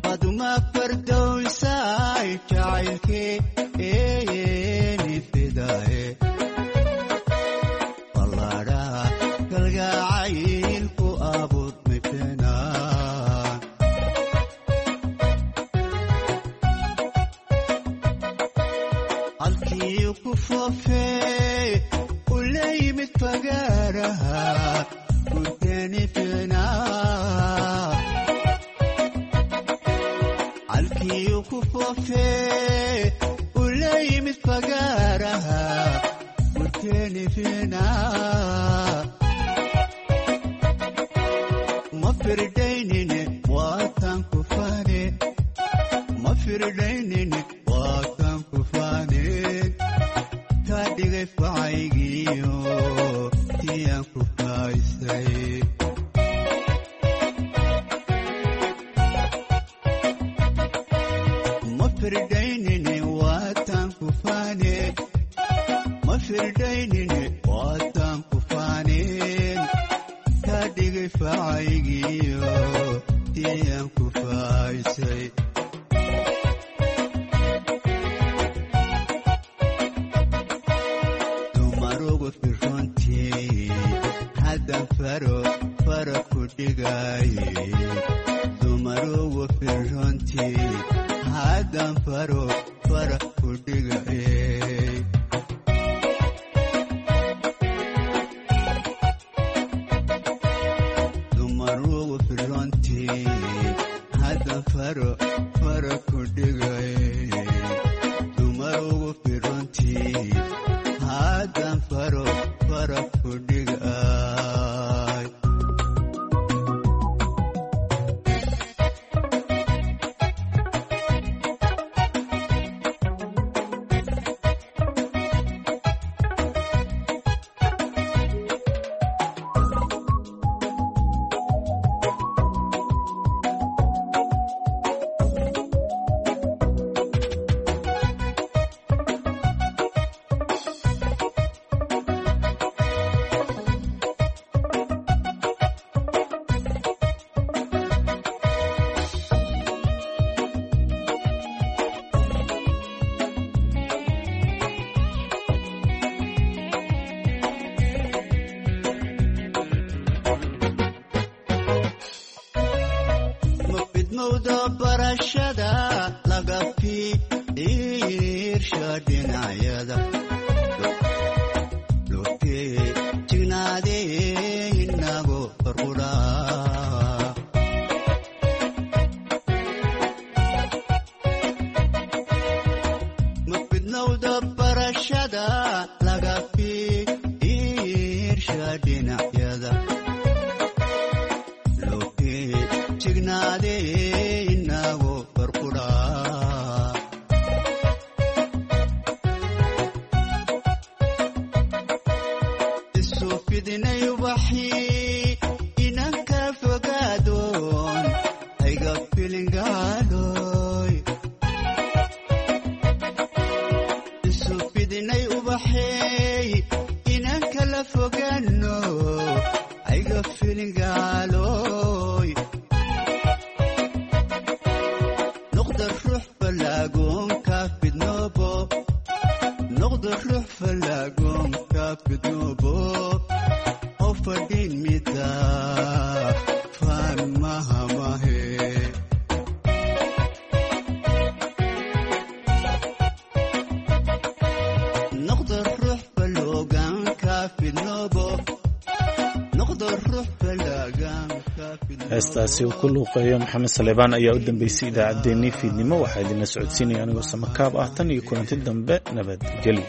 Baduma fardowsay jacaylkeeni fidaye, ballaadhaha kalgacayl ku abuur bifinaan. Halkii ku foofee u la yimid fagaaraha gurteeni ficnaa. Halkii ku foofee u la yimid fagaaraha gurteeni ficnaa. Ma firdaynine waatan ku faane, ma firdaynine waatan ku faane, kaa dhigay facaygiyo tiyaan ku faaysay. Ma firdaynine waatan ku faane, ma firdaynine waatan ku faaneen, kaa dhigay facaygiyo tiyaan ku faaysay. Dumarugu firrontii haddan faro faro ku dhigaye, dumarugu firrontii haddan faro faro ku dhigaye. Dumarugu firrontii haddan faro faro ku dhigaye, dumarugu firrontii haddan faro faro ku dhigay. Ma fidmowda barashada laga fiirsha dhinacyada, lufee jignaadee inago farqudhaa. Ma fidmowda barashada laga fiirsha dhinacyada, lufee jignaadee inago farqudhaa. Isu fidnay ubaxii inanka fogaadoon hayga filingaaloy. Isu fidnay ubaxey inanka la fogaano hayga filingaaloy. Noqda ruux falaagoonka fidnoobo, noqda ruux falaagoonka fidnoobo, oo fadhin mida faan mahamahe. Noqda ruux falooganka fidnoobo, noqda ruux falaaganka. Heestaasi uu ku luuqeeyo Maxamed Saleebaan ayaa u dambeysay idaacaddeenii fiidnimo. Waxaa idinla socodsiinaya anigoo samakaab ah. Tan iyo kulanti dambe, nabadgelyo.